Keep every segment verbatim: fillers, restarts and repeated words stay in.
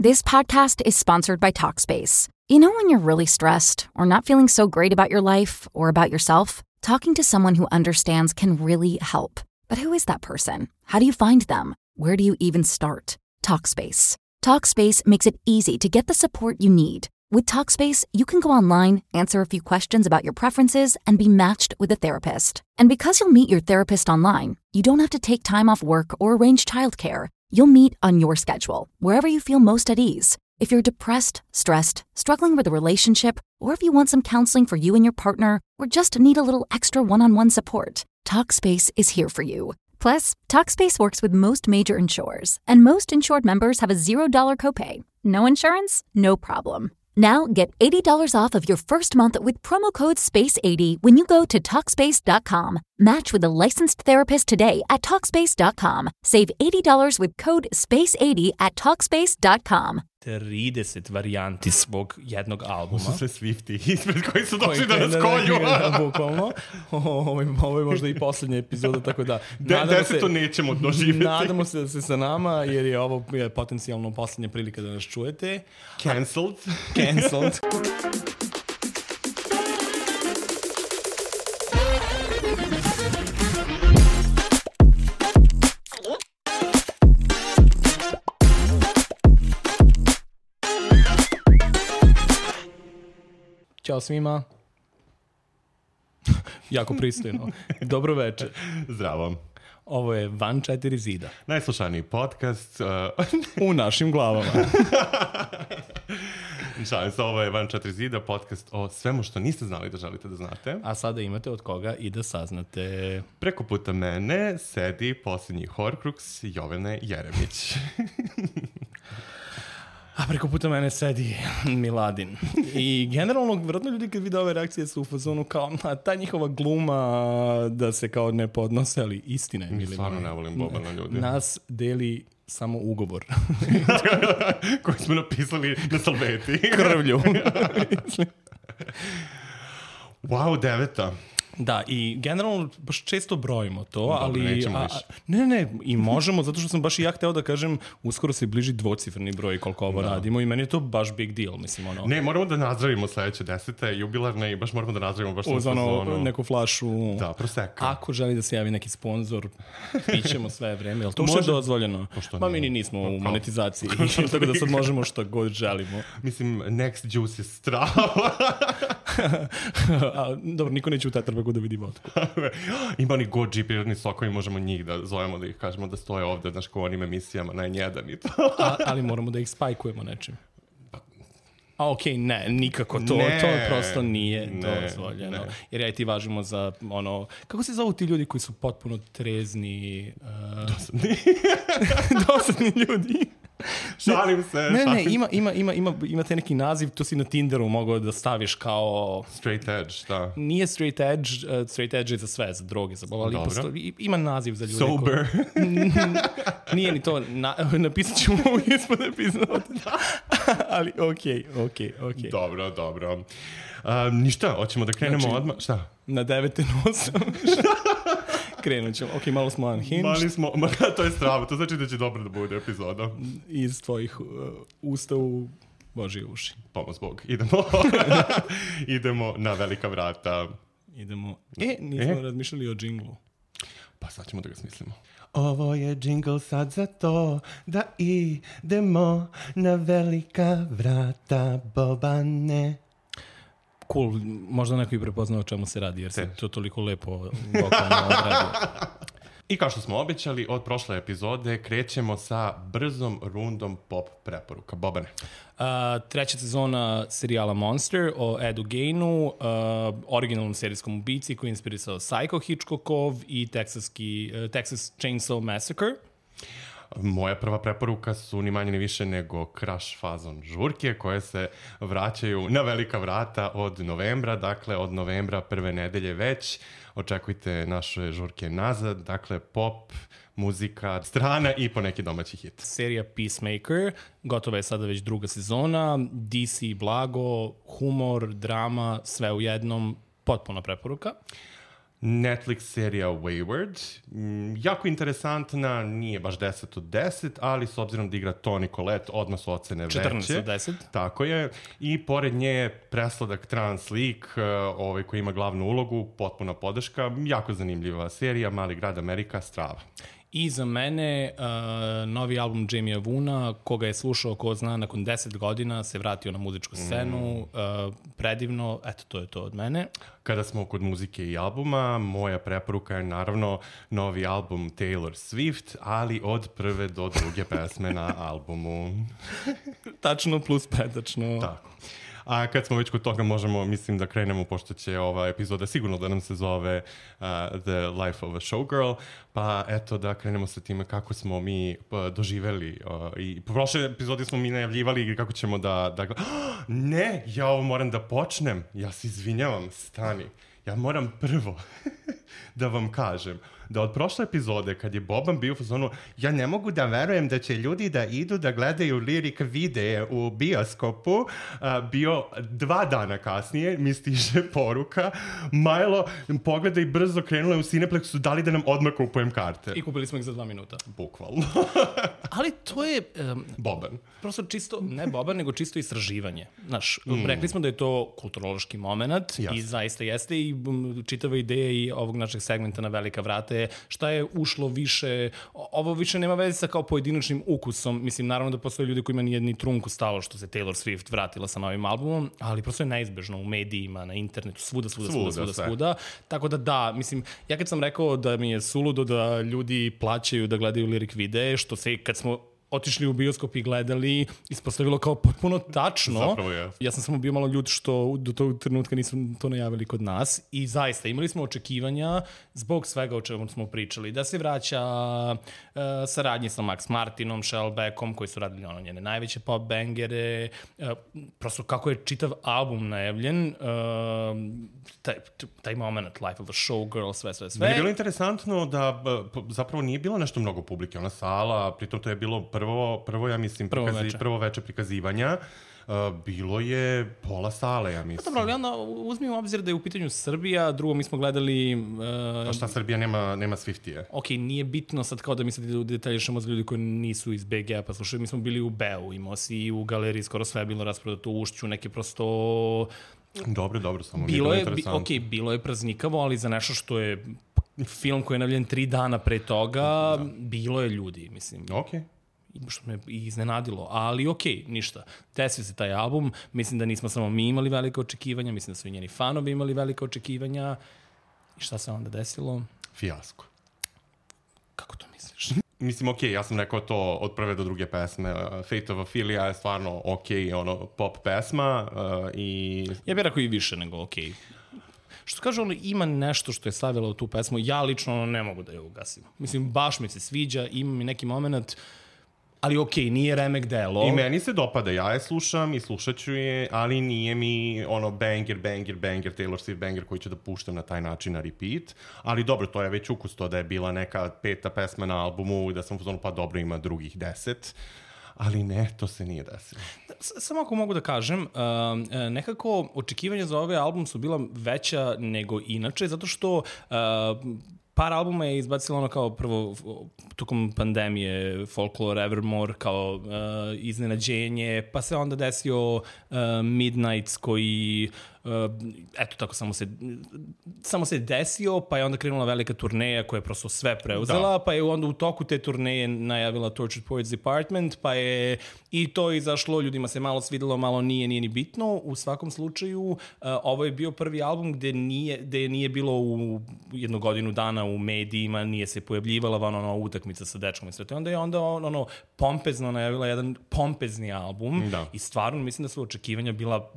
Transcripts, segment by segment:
This podcast is sponsored by Talkspace. You know when you're really stressed or not feeling so great about your life or about yourself? Talking to someone who understands can really help. But who is that person? How do you find them? Where do you even start? Talkspace. Talkspace makes it easy to get the support you need. With Talkspace, you can go online, answer a few questions about your preferences, and be matched with a therapist. And because you'll meet your therapist online, you don't have to take time off work or arrange childcare. You'll meet on your schedule, wherever you feel most at ease. If you're depressed, stressed, struggling with a relationship, or if you want some counseling for you and your partner, or just need a little extra one-on-one support, Talkspace is here for you. Plus, Talkspace works with most major insurers, and most insured members have a zero dollars copay. No insurance? No problem. Now get eighty dollars off of your first month with promo code space eighty when you go to Talkspace dot com. Match with a licensed therapist today at Talkspace dot com. Save eighty dollars with code space eighty at Talkspace dot com. trideset varijanti svog jednog albuma. Ovo su sve Swifti ispred koji su došli da nas kolju. Bukvalno. Ovo, ovo je možda i posljednja epizoda, tako da... De, deseto nećemo doživjeti. Nadamo se da se sa nama, jer je ovo je potencijalno posljednja prilika da nas čujete. Cancelled. Cancelled. Ćao svima. Jako pristojno. Dobro večer. Zdravo. Ovo je Van četiri zida. Najslušaniji podcast. Uh... U našim glavama. Šalim se, ovo je Van četiri zida, podcast o svemu što niste znali da želite da znate. A sada imate od koga i da saznate. Preko puta mene sedi posljednji Horcrux Jovane Jeremić. A preko puta mene sedi Miladin. I generalno, vjerojatno ljudi kad vide ove reakcije su u fazonu kao, a ta njihova gluma da se kao ne podnose, ali istina je. Mi stvarno ne volim Bobana ljudi. Nas deli samo ugovor. Koji smo napisali na salveti. Krvlju. Wow, deveta. Da, i generalno baš često brojimo to, Dobre, ali... nećemo a, više. Ne, ne, i možemo, zato što sam baš i ja hteo da kažem, uskoro se bliži dvocifrni broj koliko ovo da. radimo i meni je to baš big deal, mislim, ono... Ne, moramo da nazdravimo sledeće desete, jubilarne, i baš moramo da nazdravimo baš uz ono, neku flašu... Da, proseka. Ako želi da se javi neki sponsor, pićemo sve vreme, jel to može je dozvoljeno? Ma mi ni nismo u monetizaciji, tako da sad možemo što god želimo. Mislim, next juice je strava. A, dobro, niko neće u Tetrapaku da vidi vodku. Ima oni Go G prirodni sokovi, možemo njih da zovemo, da ih kažemo da stoje ovde, znaš, ko onim emisijama, na en jedan i to. A, ali moramo da ih spajkujemo nečim. A okej, okay, ne, nikako to, ne, to prosto nije ne, dozvoljeno. Ne. Jer ja i ti važimo za ono, kako se zovu ti ljudi koji su potpuno trezni? Uh, Dosadni. dosadni ljudi. Šalim se. Ne, šalim ne, ima, ima, ima, ima, ima te neki naziv, to si na Tinderu mogao da staviš kao... Straight edge, da. Nije straight edge, uh, straight edge je za sve, za droge, za bol, ali posto, ima naziv za ljude. Sober. Ko... Nije ni to, na, napisat ćemo ovo ispod epizode. Ali okej, okay, okej, okay, okej. Okay. Dobro, dobro. Uh, ništa, hoćemo da krenemo znači, odmah. Šta? Na devete nos. Krenut ćemo. Ok, malo smo unhinged. Mali smo, ma to je strava, to znači da će dobro da bude epizoda. Iz tvojih uh, usta u Božije uši. Pomoz Bog. Idemo. Idemo na velika vrata. Idemo. E, nismo e? razmišljali o džinglu. Pa sad ćemo da ga smislimo. Ovo je džingl sad za to da idemo na velika vrata, Bobane. Cool, možda neko i prepoznao o čemu se radi, jer se to toliko lepo vokalno odradio. I kao što smo obećali, od prošle epizode krećemo sa brzom rundom pop preporuka. Bobane. Uh, treća sezona serijala Monster o Edu Gainu, uh, originalnom serijskom ubici koji je inspirisao Psycho Hitchcockov i Texaski, uh, Texas Chainsaw Massacre. Moja prva preporuka su ni manje ni više nego Crash fazon žurke koje se vraćaju na velika vrata od novembra, dakle od novembra prve nedelje već. Očekujte naše žurke nazad, dakle pop, muzika, strana i po neki domaći hit. Serija Peacemaker, gotova je sada već druga sezona, D C blago, humor, drama, sve u jednom, potpuna preporuka. Netflix serija Wayward, mm, jako interesantna, nije baš deset od deset, ali s obzirom da igra Toni Collette, odmah su ocene veće. četrnaest od deset. Tako je. I pored nje je presladak trans lik, uh, ovaj koji ima glavnu ulogu, potpuna podrška, jako zanimljiva serija, Mali grad Amerika, strava. I za mene uh, novi album Jamie Vuna, koga je slušao, ko zna, nakon deset godina se vratio na muzičku scenu, mm. uh, predivno, eto, to je to od mene. Kada smo kod muzike i albuma, moja preporuka je naravno novi album Taylor Swift, ali od prve do druge pesme na albumu. Tačno plus pretačno. Tako. A kad smo već kod toga možemo, mislim da krenemo, pošto će ova epizoda sigurno da nam se zove uh, The Life of a Showgirl, pa eto da krenemo sa time kako smo mi uh, doživeli. Uh, I po prošle epizodi smo mi najavljivali kako ćemo da... da... Oh, ne, ja ovo moram da počnem. Ja se izvinjavam, stani. Ja moram prvo da vam kažem da od prošle epizode, kad je Boban bio u fazonu, ja ne mogu da verujem da će ljudi da idu da gledaju lirik videe u bioskopu, uh, bio dva dana kasnije, mi stiže poruka, Majlo, pogledaj brzo, krenula je u Cineplexu, dali da nam odmah kupujem karte. I kupili smo ih za dva minuta. Bukvalno. Ali to je... Um, Boban. Prosto čisto, ne Boban, nego čisto istraživanje. Znaš, mm. rekli smo da je to kulturološki moment Jasne. I zaista jeste i um, čitava ideja i ovog našeg segmenta na velika vrata je šta je ušlo više, ovo više nema veze sa kao pojedinačnim ukusom, mislim naravno da postoje ljudi kojima nije ni trunku stalo što se Taylor Swift vratila sa novim albumom, ali prosto je neizbežno u medijima, na internetu, svuda, svuda, svuda, svuda, svuda, svuda. Tako da da, mislim, ja kad sam rekao da mi je suludo da ljudi plaćaju da gledaju lirik videe, što se kad smo otišli u bioskop i gledali, ispostavilo kao potpuno tačno. Zapravo je. Ja sam samo bio malo ljut što do tog trenutka nisu to najavili kod nas i zaista imali smo očekivanja zbog svega o čemu smo pričali. Da se vraća uh, saradnje sa Max Martinom, Shellbackom, koji su radili ono njene najveće pop bangere, uh, prosto kako je čitav album najavljen, uh, taj, taj moment, Life of a Showgirl, sve, sve, sve. Meni je bilo interesantno da zapravo nije bilo nešto mnogo publike, ona sala, pritom to je bilo prvo, prvo ja mislim, prvo, prikazi, veče. prvo veče prikazivanja, uh, bilo je pola sale, ja mislim. Dobro, ali onda uzmi u obzir da je u pitanju Srbija, drugo mi smo gledali... Uh, pa šta, Srbija nema, nema Swiftije? Ok, nije bitno sad kao da mi sad detaljišemo za ljudi koji nisu iz be ge, pa slušaj, mi smo bili u Beu, imao si u galeriji, skoro sve je bilo rasprodato u Ušću, neke prosto... Dobro, dobro, samo bilo mi je je, interesantno. Ok, bilo je praznikavo, ali za nešto što je film koji je navljen tri dana pre toga, da. Bilo je ljudi, mislim. Ok. Što me iznenadilo, ali okej, okay, ništa. Desio se taj album, mislim da nismo samo mi imali velike očekivanja, mislim da su i njeni fanovi imali velike očekivanja. I šta se onda desilo? Fijasko. Kako to misliš? Mislim, okej, okay, ja sam rekao to od prve do druge pesme. Uh, Fate of Ophelia je stvarno okej, okay, ono, pop pesma uh, i... Ja bih rekao i više nego okej. Okay. Što kaže, ono, ima nešto što je stavila u tu pesmu, ja lično ono, ne mogu da je ugasim. Mislim, baš mi se sviđa, ima mi neki moment... Ali okej, okay, nije remek delo. I meni se dopada, ja je slušam i slušat ću je, ali nije mi ono banger, banger, banger, Taylor Swift banger koji ću da puštam na taj način na repeat. Ali dobro, to je već ukus to da je bila neka peta pesma na albumu i da sam uzmano pa dobro ima drugih deset. Ali ne, to se nije desilo. Samo ako mogu da kažem, uh, nekako očekivanja za ovaj album su bila veća nego inače, zato što... Uh, par albuma je izbacilo ono kao prvo tokom pandemije Folklore, Evermore kao uh, iznenađenje, pa se onda desio uh, Midnights koji uh, eto tako samo se samo se desio, pa je onda krenula velika turneja koja je prosto sve preuzela, da. Pa je onda u toku te turneje najavila Tortured Poets Department, pa je i to izašlo, ljudima se malo svidelo, malo nije, nije ni bitno. U svakom slučaju, uh, ovo je bio prvi album gde nije, gde nije bilo u jednu godinu dana u medijima, nije se pojavljivala ono, ono utakmica sa dečkom i sve to. Onda je onda ono, ono pompezno najavila jedan pompezni album da. I stvarno mislim da su očekivanja bila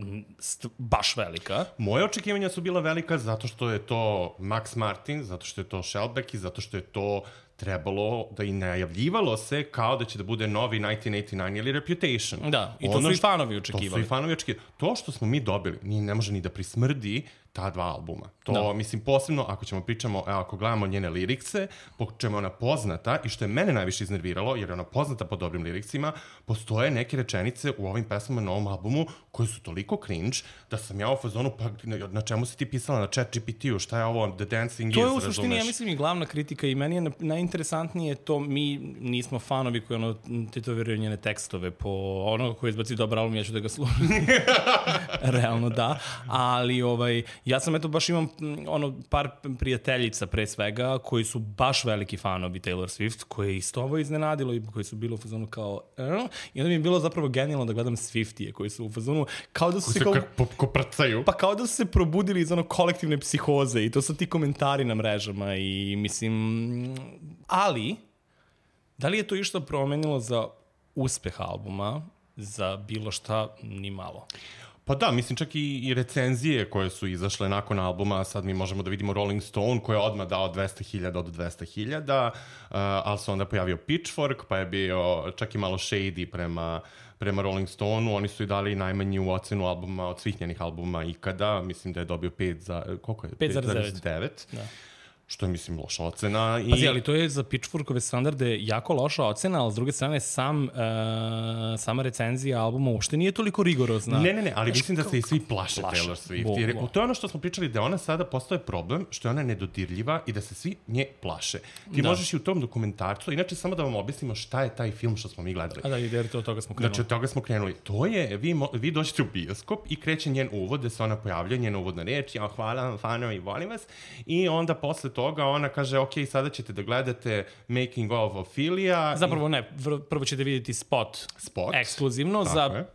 baš velika. Moje očekivanja su bila velika zato što je to Max Martin, zato što je to Shellback i zato što je to trebalo da i najavljivalo se kao da će da bude novi devetnaest osamdeset devet ili Reputation. Da, i to ono su i fanovi očekivali. To su i fanovi očekivali. To što smo mi dobili, nije, ne može ni da prismrdi ta dva albuma. To, da. mislim, posebno ako ćemo pričamo, ako gledamo njene lirikse, po čemu je ona poznata i što je mene najviše iznerviralo, jer je ona poznata po dobrim liriksima, postoje neke rečenice u ovim pesmama na ovom albumu koje su toliko cringe da sam ja u fazonu, pa na čemu si ti pisala, na chat G P T-u, šta je ovo, The Dancing to Is, je u razumeš? suštini, ja mislim, i glavna kritika i meni je najinteresantnije to, mi nismo fanovi koji ono tetoviraju njene tekstove po ono koji izbaci dobar album, ja ću da ga slušam. Realno da, ali ovaj, ja sam eto baš imam ono par prijateljica pre svega koji su baš veliki fanovi Taylor Swift, koje je isto ovo iznenadilo i koji su bilo u fazonu kao eh? I onda mi je bilo zapravo genijalno da gledam Swiftije koji su u fazonu kao da su ko se se kao, ko, ko prcaju. pa kao da su se probudili iz ono kolektivne psihoze i to su ti komentari na mrežama i mislim, ali da li je to išta promenilo za uspeh albuma, za bilo šta, ni malo. Pa da, mislim čak i, i recenzije koje su izašle nakon albuma, sad mi možemo da vidimo Rolling Stone koji je odmah dao dvesta hiljada od dvesta hiljada, uh, ali se onda pojavio Pitchfork, pa je bio čak i malo shady prema, prema Rolling Stoneu, oni su i dali najmanju ocenu albuma od svih njenih albuma ikada, mislim da je dobio pet za, koliko je? pet zarez devet. Da. Što je, mislim, loša ocena. I... Pazi, ali to je za Pitchforkove standarde jako loša ocena, ali s druge strane sam, uh, sama recenzija albuma uopšte nije toliko rigorozna. Ne, ne, ne, ali mislim da se i svi plaše, plaše. Taylor Swift. Bo, jer bo. to je ono što smo pričali, da ona sada postoje problem, što je ona nedodirljiva i da se svi nje plaše. Ti da. možeš i u tom dokumentarcu, inače samo da vam objasnimo šta je taj film što smo mi gledali. A da, jer to od toga smo krenuli. Znači, od toga smo krenuli. To je, vi, mo, vi dođete u bioskop i kreće njen uvod, gde se ona pojavlja, njena uvodna reč, ja hvala vam, fanovi, volim vas. I onda posle toga ona kaže, ok, sada ćete da gledate Making of Ophelia. Zapravo ne, prvo ćete vidjeti spot, Spot. ekskluzivno Tako za je.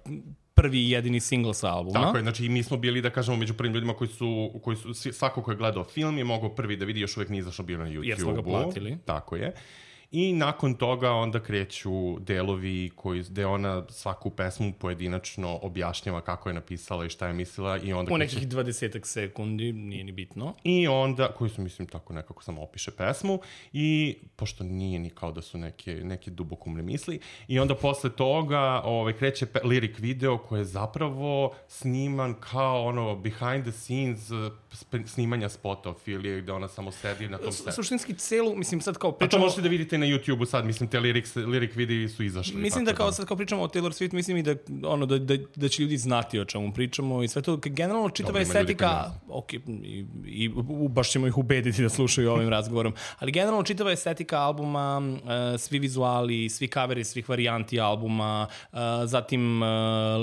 prvi i jedini single sa albuma. Tako je, znači mi smo bili, da kažemo, među prvim ljudima koji su, koji su svako ko je gledao film je mogao prvi da vidi, još uvijek nije izašao bio na YouTube-u. Jer smo ga platili. Tako je. I nakon toga onda kreću delovi koji, gde ona svaku pesmu pojedinačno objašnjava kako je napisala i šta je mislila. I onda u kreće... nekih dvadesetak sekundi, nije ni bitno. I onda, koji su, mislim, tako nekako samo opiše pesmu i, pošto nije ni kao da su neke, neke dubokumne misli, i onda posle toga ovaj, kreće pe, lyric video koji je zapravo sniman kao ono behind the scenes snimanja spota Ophelia, gde ona samo sedi na tom setu. Suštinski celu, mislim sad kao pričamo... A to možete da vidite na YouTube-u sad, mislim, te lyrics, lyric videi su izašli. Mislim da kao da. sad kao pričamo o Taylor Swift, mislim i da, ono, da, da, da će ljudi znati o čemu pričamo i sve to, generalno čitava estetika, ok, i, i baš ćemo ih ubediti da slušaju ovim razgovorom, ali generalno čitava estetika albuma, uh, svi vizuali, svi coveri, svih varijanti albuma, uh, zatim uh,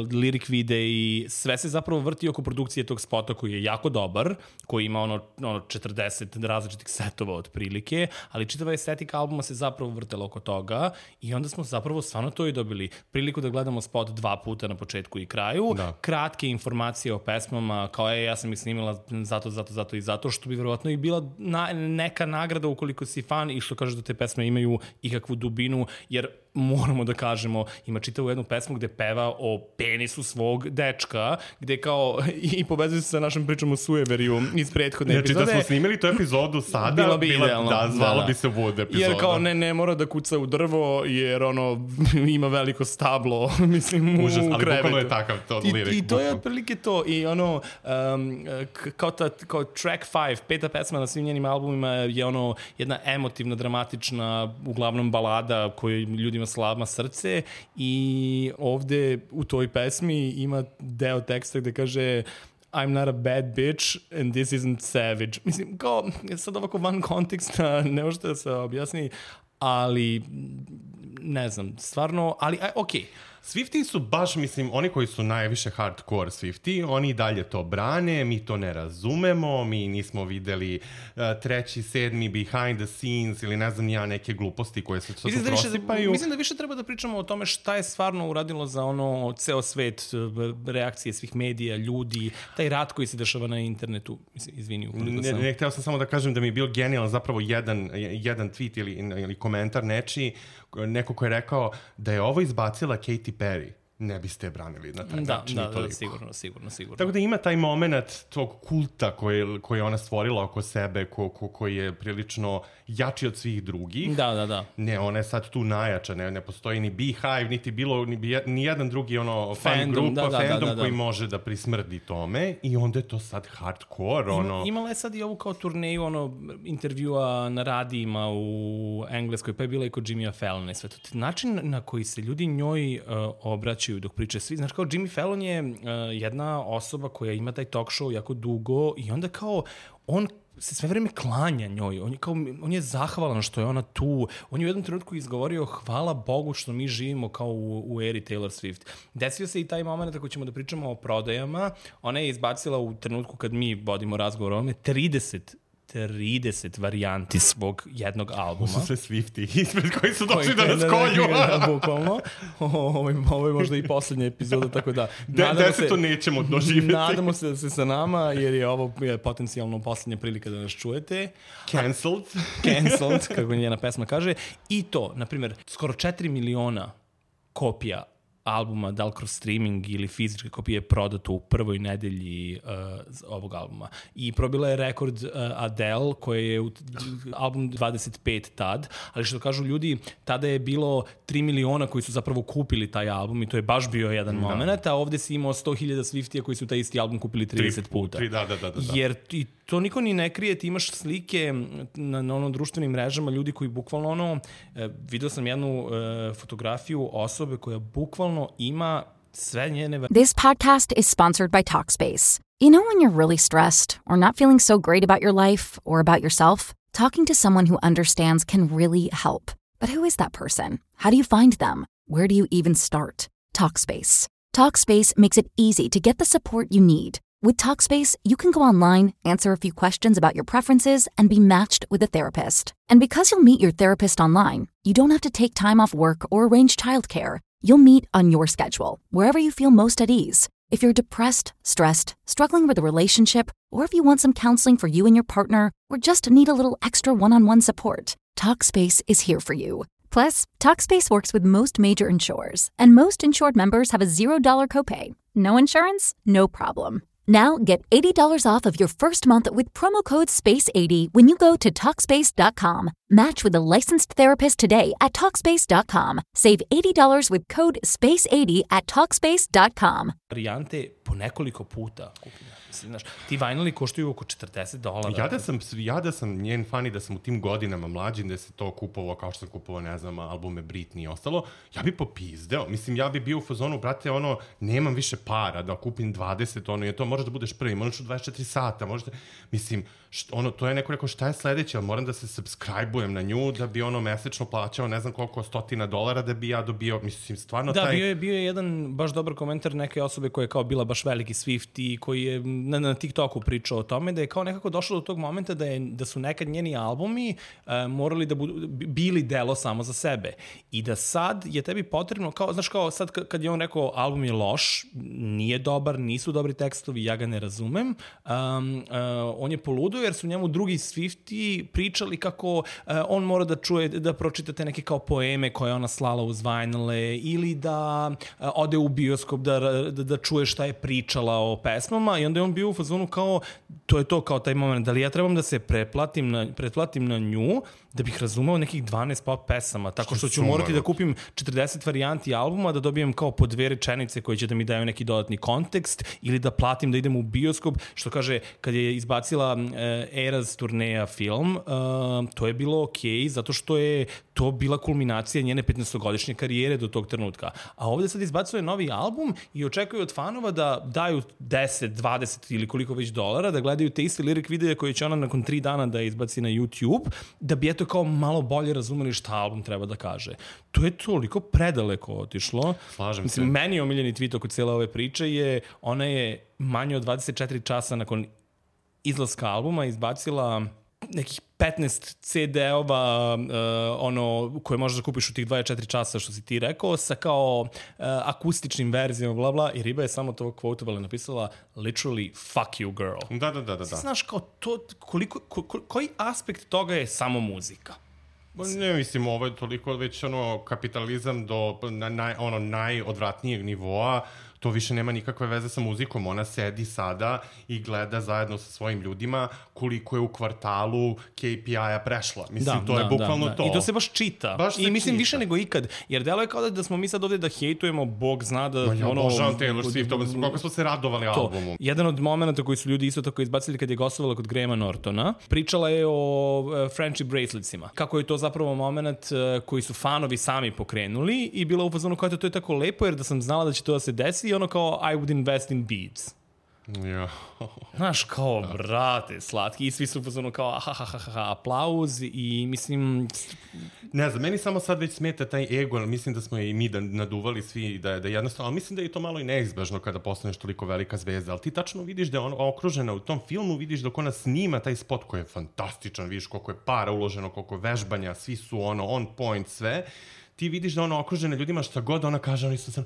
lyric videi, sve se zapravo vrti oko produkcije tog spota koji je jako dobar, koji ima ono, ono četrdeset različitih setova otprilike, ali čitava estetika albuma se zapravo vrtela oko toga i onda smo zapravo stvarno to i dobili priliku da gledamo spot dva puta na početku i kraju, da. Kratke informacije o pesmama, kao je, ja sam ih snimila zato, zato, zato i zato, što bi verovatno i bila na, neka nagrada ukoliko si fan i što kažeš da te pesme imaju ikakvu dubinu, jer moramo da kažemo, ima čitavu jednu pesmu gde peva o penisu svog dečka, gde kao i povezuje se sa našom pričom o Sueveriju iz prethodne znači, epizode. Znači da smo snimili tu epizodu sada, bilo bi bila, idealno. Da, zvalo da, da. bi se Wood epizoda. Jer kao ne, ne mora da kuca u drvo, jer ono ima veliko stablo, mislim, u Užas, ali krevetu. bukvalno je takav to lirik. I, i to je otprilike to. I ono, um, kao, ta, kao track five, peta pesma na svim njenim albumima je ono jedna emotivna, dramatična, uglavnom balada koja ljudima slama srce i ovde u toj pesmi ima deo teksta gde kaže I'm not a bad bitch and this isn't savage. Mislim, kao, sad ovako van konteksta, ne možete da se objasni, ali ne znam, stvarno, ali okej. Okay. Swiftie su baš, mislim, oni koji su najviše hardcore Swiftie, oni i dalje to brane, mi to ne razumemo, mi nismo videli uh, treći, sedmi behind the scenes ili ne znam ja neke gluposti koje se to mislim, da prosipaju. Mislim da više treba da pričamo o tome šta je stvarno uradilo za ono ceo svet, reakcije svih medija, ljudi, taj rat koji se dešava na internetu. Mislim, izvini, ukoliko sam... Ne, ne, hteo sam samo da kažem da mi je bio genijalan zapravo jedan, jedan tweet ili, ili komentar nečiji, neko ko je rekao da je ovo izbacila Katy Perry. ne biste branili na taj da, način. Da, da, sigurno, sigurno, sigurno. Tako da ima taj moment tog kulta koji, koji je ona stvorila oko sebe, ko, ko, koji je prilično jači od svih drugih. Da, da, da. Ne, ona je sad tu najjača, ne, ne postoji ni Beehive, niti bilo, ni, ni jedan drugi ono fan fandom, grupa, da, da, fandom da, da, da. koji može da prismrdi tome i onda je to sad hardcore, ono... Ima, imala je sad i ovu kao turneju, ono, intervjua na radijima u Engleskoj, pa je bila i kod Jimmya Fallona i sve to. Način na koji se ljudi njoj uh, obraćaju dok pričaju svi, znaš, kao Jimmy Fallon je uh, jedna osoba koja ima taj talk show jako dugo i onda kao on se sve vreme klanja njoj, on je, kao, on je zahvalan što je ona tu, on je u jednom trenutku izgovorio hvala Bogu što mi živimo kao u, u eri Taylor Swift. Desio se i taj moment ako ćemo da pričamo o prodajama, ona je izbacila u trenutku kad mi vodimo razgovor o ovome trideset trideset varijanti svog jednog albuma. Ovo su sve Swifti ispred koji su došli da nas kolju. Da, bukvalno. Ovo, ovo je možda i poslednja epizoda, tako da... De, deseto nećemo doživjeti. Nadamo se da se sa nama, jer je ovo je potencijalno poslednja prilika da nas čujete. Cancelled. Cancelled, kako njena pesma kaže. I to, na primjer, skoro četiri miliona kopija albuma, da li kroz streaming ili fizičke kopije, prodato u prvoj nedelji uh, ovog albuma. I probila je rekord uh, Adele, koja je u, album dvadeset pet tad, ali što kažu ljudi, tada je bilo tri miliona koji su zapravo kupili taj album i to je baš bio jedan da. moment, a ovde si imao sto hiljada Swiftija koji su taj isti album kupili trideset puta. Tri, da, da, da, da. Jer i to niko ni ne krije, ti imaš slike na, na ono društvenim mrežama, ljudi koji bukvalno ono, eh, vidio sam jednu eh, fotografiju osobe koja bukvalno ima sve njene... This podcast is sponsored by Talkspace. You know when you're really stressed or not feeling so great about your life or about yourself? Talking to someone who understands can really help. But who is that person? How do you find them? Where do you even start? Talkspace. Talkspace makes it easy to get the support you need. With Talkspace, you can go online, answer a few questions about your preferences, and be matched with a therapist. And because you'll meet your therapist online, you don't have to take time off work or arrange childcare. You'll meet on your schedule, wherever you feel most at ease. If you're depressed, stressed, struggling with a relationship, or if you want some counseling for you and your partner, or just need a little extra one-on-one support, Talkspace is here for you. Plus, Talkspace works with most major insurers, and most insured members have a zero dollar copay. No insurance? No problem. Now get eighty dollars off of your first month with promo code space eighty when you go to Talkspace dot com. Match with a licensed therapist today at Talkspace dot com. Save eighty dollars with code space eighty at Talkspace dot com. Varijante po nekoliko puta. Znaš, ti vinili koštuju oko četrdeset dolara. Ja da sam, ja da sam njen fan i da sam u tim godinama mlađim da se to kupovao kao što sam kupovao, ne znam, albume Britney i ostalo, ja bi popizdeo. Mislim, ja bi bio u fazonu, brate, ono, nemam više para da kupim dvadeset, ono, je to, možeš da budeš prvi, možeš u dvadeset četiri sata, možeš da, mislim, što, ono, to je neko rekao, šta je sledeće, ali moram da se subscribe-ujem na nju, da bi ono mesečno plaćao, ne znam koliko stotina dolara, da bi ja dobio, mislim, stvarno da, taj... Da, bio je, bio je jedan baš dobar komentar neke osobe koja je kao bila baš veliki Swift i koji je na, na TikToku pričao o tome, da je kao nekako došlo do tog momenta da, je, da su nekad njeni albumi uh, morali da budu, bili delo samo za sebe. I da sad je tebi potrebno, kao, znaš, kao sad kad je on rekao album je loš, nije dobar, nisu dobri tekstovi, ja ga ne razumem, um, uh, on je poludio jer su njemu drugi Swifti pričali kako uh, on mora da čuje, da pročitate neke kao poeme koje ona slala uz vinile ili da uh, ode u bioskop da, da, da čuje šta je pričala o pesmama i onda je on bio u fazonu kao, to je to kao taj moment, da li ja trebam da se pretplatim na, pretplatim na nju da bih razumeo nekih dvanaest pop pesama, tako što ću morati da kupim četrdeset varijanti albuma, da dobijem kao po dve rečenice koje će da mi daju neki dodatni kontekst ili da platim da idem u bioskop, što kaže, kad je izbacila uh, Eras turneja film, uh, to je bilo okej, zato što je to bila kulminacija njene petnaestogodišnje karijere do tog trenutka. A ovde sad izbacuje novi album i očekuju od fanova da daju deset, dvadeset ili koliko već dolara, da gledaju te iste lirik videa koje će ona nakon tri dana da izbaci na YouTube, da bi eto kao malo bolje razumeli šta album treba da kaže. To je toliko predaleko otišlo. Slažem Mislim, se. meni je omiljeni tweet oko cijele ove priče je, ona je manje od dvadeset četiri časa nakon izlaska albuma izbacila nekih petnaest ce de-ova uh, ono, koje možeš da kupiš u tih dvadeset četiri časa što si ti rekao, sa kao uh, akustičnim verzijama, bla bla, i Riba je samo to quoteable napisala literally fuck you girl. Da, da, da, da. Znaš kao to, koliko, ko, ko, koji aspekt toga je samo muzika? Ne, mislim, ovo je toliko već ono kapitalizam do na, na, ono najodvratnijeg nivoa, to više nema nikakve veze sa muzikom. Ona sedi sada i gleda zajedno sa svojim ljudima koliko je u kvartalu K P I-a prešla. Mislim, da, to je da, bukvalno da, da. to. I to se baš čita. Baš I mislim čita. više nego ikad. Jer delo je kao da, da smo mi sad ovde da hejtujemo, Bog zna da... Ma ja ono, obožavam Taylor Swift, koliko smo se radovali to. albumu. Jedan od momenta koji su ljudi isto tako izbacili kad je gostovala kod Grahama Nortona, pričala je o uh, friendship braceletsima. Kako je to zapravo moment uh, koji su fanovi sami pokrenuli i bila u fazonu kao to je tako lepo jer da sam znala da će to da se desi i ono kao I would invest in beads. Ja. Znaš, kao, brate, slatki. I svi su pozvano kao, ha, ha, ha, ha, aplauz i mislim... Ne znam, meni samo sad već smeta taj ego, ali mislim da smo i mi da naduvali svi, da, da jednostavno, ali mislim da je to malo i neizbežno kada postaneš toliko velika zvezda, ali ti tačno vidiš da je on okružena u tom filmu, vidiš dok ona snima taj spot koji je fantastičan, vidiš koliko je para uloženo, koliko je vežbanja, svi su ono on point sve, ti vidiš da ona okružena ljudima šta god ona kaže, oni su sam,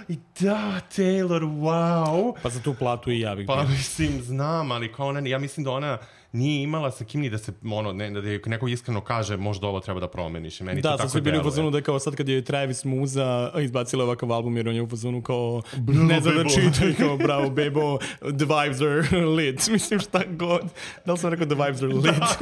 i da, Taylor, wow. Pa za tu platu i ja bih Pa mislim, znam, ali kao ona, ja mislim da ona nije imala sa kim ni da se, ono, ne, da je neko iskreno kaže možda ovo treba da promeniš. Meni da, to tako sad su bili u deluje. fazonu da je kao sad kad je Travis Muza izbacila ovakav album jer on je u fazonu kao ne znam da čita i kao bravo bebo, the vibes are lit. Mislim šta god. Da li sam rekao the vibes are lit? Da,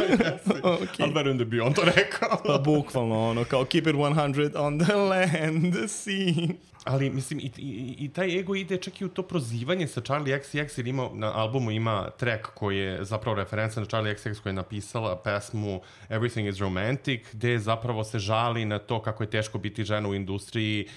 okay. Ali verujem da bi on to rekao. Pa bukvalno ono kao keep it one hundred on the land, the sea. Ali, mislim, i, i, i taj ego ide čak i u to prozivanje sa Charlie X C X, jer ima, na albumu ima track koji je zapravo referenca na Charlie X C X koja je napisala pesmu Everything is Romantic, gde zapravo se žali na to kako je teško biti žena u industriji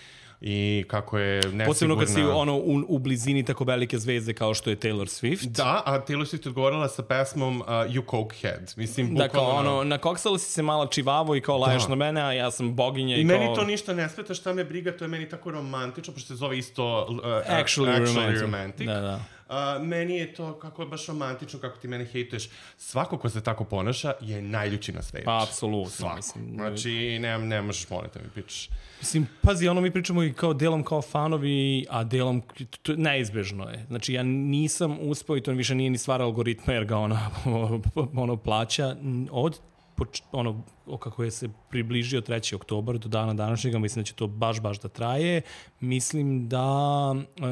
i kako je nesigurna. Posebno kad si ono u, u blizini tako velike zvezde kao što je Taylor Swift. Da, a Taylor Swift je odgovorila sa pesmom uh, You Cokehead. Mislim, bukvalno... Da, kao ono, nakoksala si se malo čivavo i kao laješ da. Na mene, a ja sam boginja i, I kao... meni to ništa ne smeta, šta me briga, to je meni tako romantično, pošto se zove isto uh, Actually, actually romantic. romantic. Da, da. Uh, meni je to kako je baš romantično, kako ti mene hejtuješ. Svako ko se tako ponaša je najljući na svetu. Pa, apsolutno. Svako. Mislim, znači, ne, ne možeš moliti da mi pričaš. Mislim, pazi, ono mi pričamo i kao delom kao fanovi, a delom, to neizbežno je. Znači, ja nisam uspeo i to više nije ni stvar algoritma, jer ga ona ono plaća od ono, kako je se približio treći oktobar do dana današnjega, mislim da će to baš, baš da traje. Mislim da uh,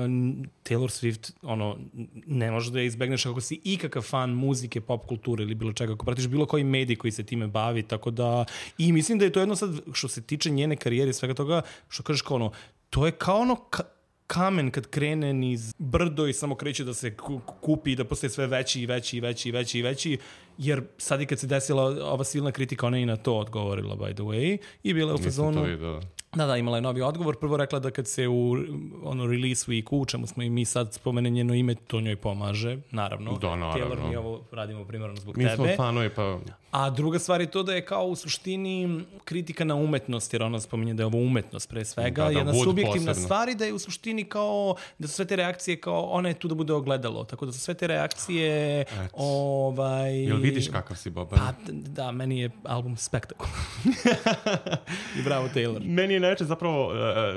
Taylor Swift, ono, ne može da je izbegneš ako si ikakav fan muzike, pop kulture ili bilo čega, ako pratiš bilo koji medij koji se time bavi, tako da, i mislim da je to jedno sad, što se tiče njene karijere i svega toga, što kažeš kao ono, to je kao ono, ka, kamen kad krene niz brdo i samo kreće da se kupi i da postaje sve veći i veći i veći i veći i veći, jer sad i kad se desila ova silna kritika, ona je i na to odgovorila, by the way, i bila je u fazonu... Nisam to vidio. Da, da, imala je novi odgovor. Prvo rekla da kad se u ono, release weeku, u čemu smo i mi sad spomene njeno ime, to njoj pomaže, naravno. Da, naravno. Taylor, mi ovo radimo primjerno zbog mi tebe. Mi smo fanovi, pa... A druga stvar je to da je kao u suštini kritika na umetnost, jer ona spominje da je ovo umetnost pre svega, da, da, jedna subjektivna posebno. stvar i da je u suštini kao, da su sve te reakcije kao, ona je tu da bude ogledalo, tako da su sve te reakcije, Et. ovaj... Jel vidiš kakav si, Boban? Pa, da, meni je album spektakul. I bravo, Taylor. Meni je najče zapravo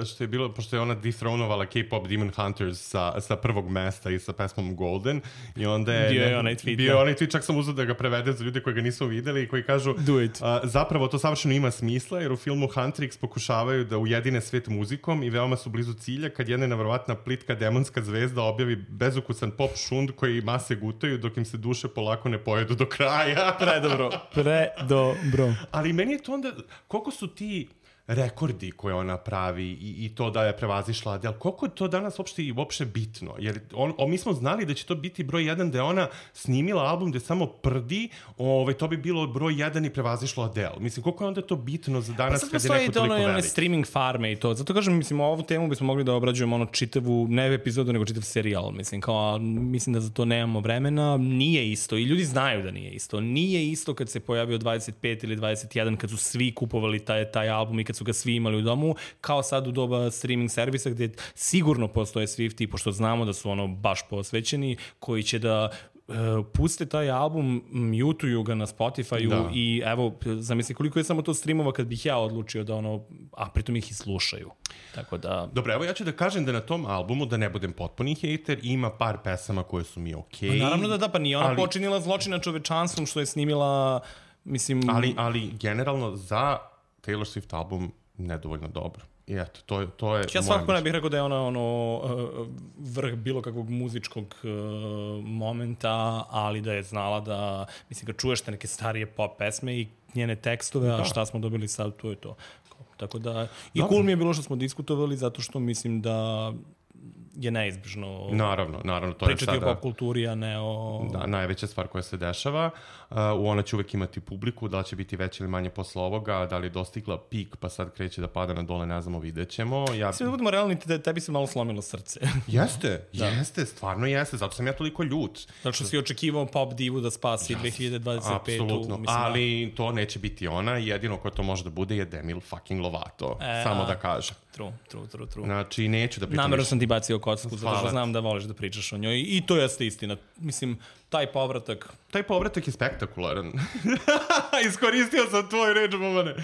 što je bilo, pošto je ona dethronovala K-pop Demon Hunters sa, sa prvog mesta i sa pesmom Golden, i onda je... Bio ne, je onaj tweet. Bio je onaj tweet, čak sam uzeo da ga prevede za ljude koji ga nisu videli i koji kažu... Do it. A, zapravo to savršeno ima smisla, jer u filmu Huntrix pokušavaju da ujedine svet muzikom i veoma su blizu cilja kad jedna nevjerovatna plitka demonska zvezda objavi bezukusan pop šund koji mase gutaju dok im se duše polako ne pojedu do kraja. Predobro. Predobro. Ali meni je to onda... Koliko su ti... rekordi koje ona pravi i, i to da je prevazišla Adele, koliko je to danas uopšte i uopšte bitno? Jer on, on, mi smo znali da će to biti broj jedan, da je ona snimila album gde samo prdi, ovaj, to bi bilo broj jedan i prevazišla Adele. Mislim, koliko je onda to bitno za danas pa kad je neko toliko ono, velik? Streaming farme i to. Zato kažem, mislim, ovu temu bismo mogli da obrađujemo ono čitavu, ne epizodu, nego čitav serijal. Mislim, kao, mislim da za to nemamo vremena. Nije isto. I ljudi znaju da nije isto. Nije isto kad se pojavio dvadeset pet ili dvadeset jedan, kad su svi kupovali taj, taj album i kad su ga svi imali u domu, kao sad u doba streaming servisa gde sigurno postoje Swifti, pošto znamo da su ono baš posvećeni, koji će da uh, puste taj album, mutuju ga na Spotify-u da. I evo, zamisli koliko je samo to streamova kad bih ja odlučio da ono, a pritom ih i slušaju. Tako da... Dobro, evo ja ću da kažem da na tom albumu, da ne budem potpuni hejter, ima par pesama koje su mi okej. Okay. Naravno da da, pa nije ona ali... počinila zločin nad čovečanstvom što je snimila Mislim... Ali, ali generalno za Taylor Swift album nedovoljno dobro. I eto, to je, to je ja svakako ne bih rekao da je ona ono, vrh bilo kakvog muzičkog momenta, ali da je znala da, mislim, kad čuješ te neke starije pop pesme i njene tekstove, a šta smo dobili sad, to je to. Tako da, i cool mi je bilo što smo diskutovali, zato što mislim da je neizbježno naravno, naravno, to je pričati sada, o pop kulturi, a ne o... Da, najveća stvar koja se dešava. Uh, ona će uvek imati publiku, da li će biti veće ili manje posle ovoga, da li je dostigla pik, pa sad kreće da pada na dole, ne znamo, vidjet ćemo. Ja... Sve da budemo realni, te, tebi se malo slomilo srce. Jeste, jeste, stvarno jeste, zato sam ja toliko ljut. Zato što si očekivao pop divu da spasi yes, dve hiljade dvadeset petu. Apsolutno, mislim, ali to neće biti ona, jedino ko to može da bude je Demi fucking Lovato, e, samo da kaže. True, true, true, true. Znači, neću da pričam. Namerno sam ti bacio kocku, zato što znam da voliš da pričaš o njoj i to jeste istina. Mislim, taj povratak... Taj povratak je spektakularan. Iskoristio sam tvoj reč, Bobane.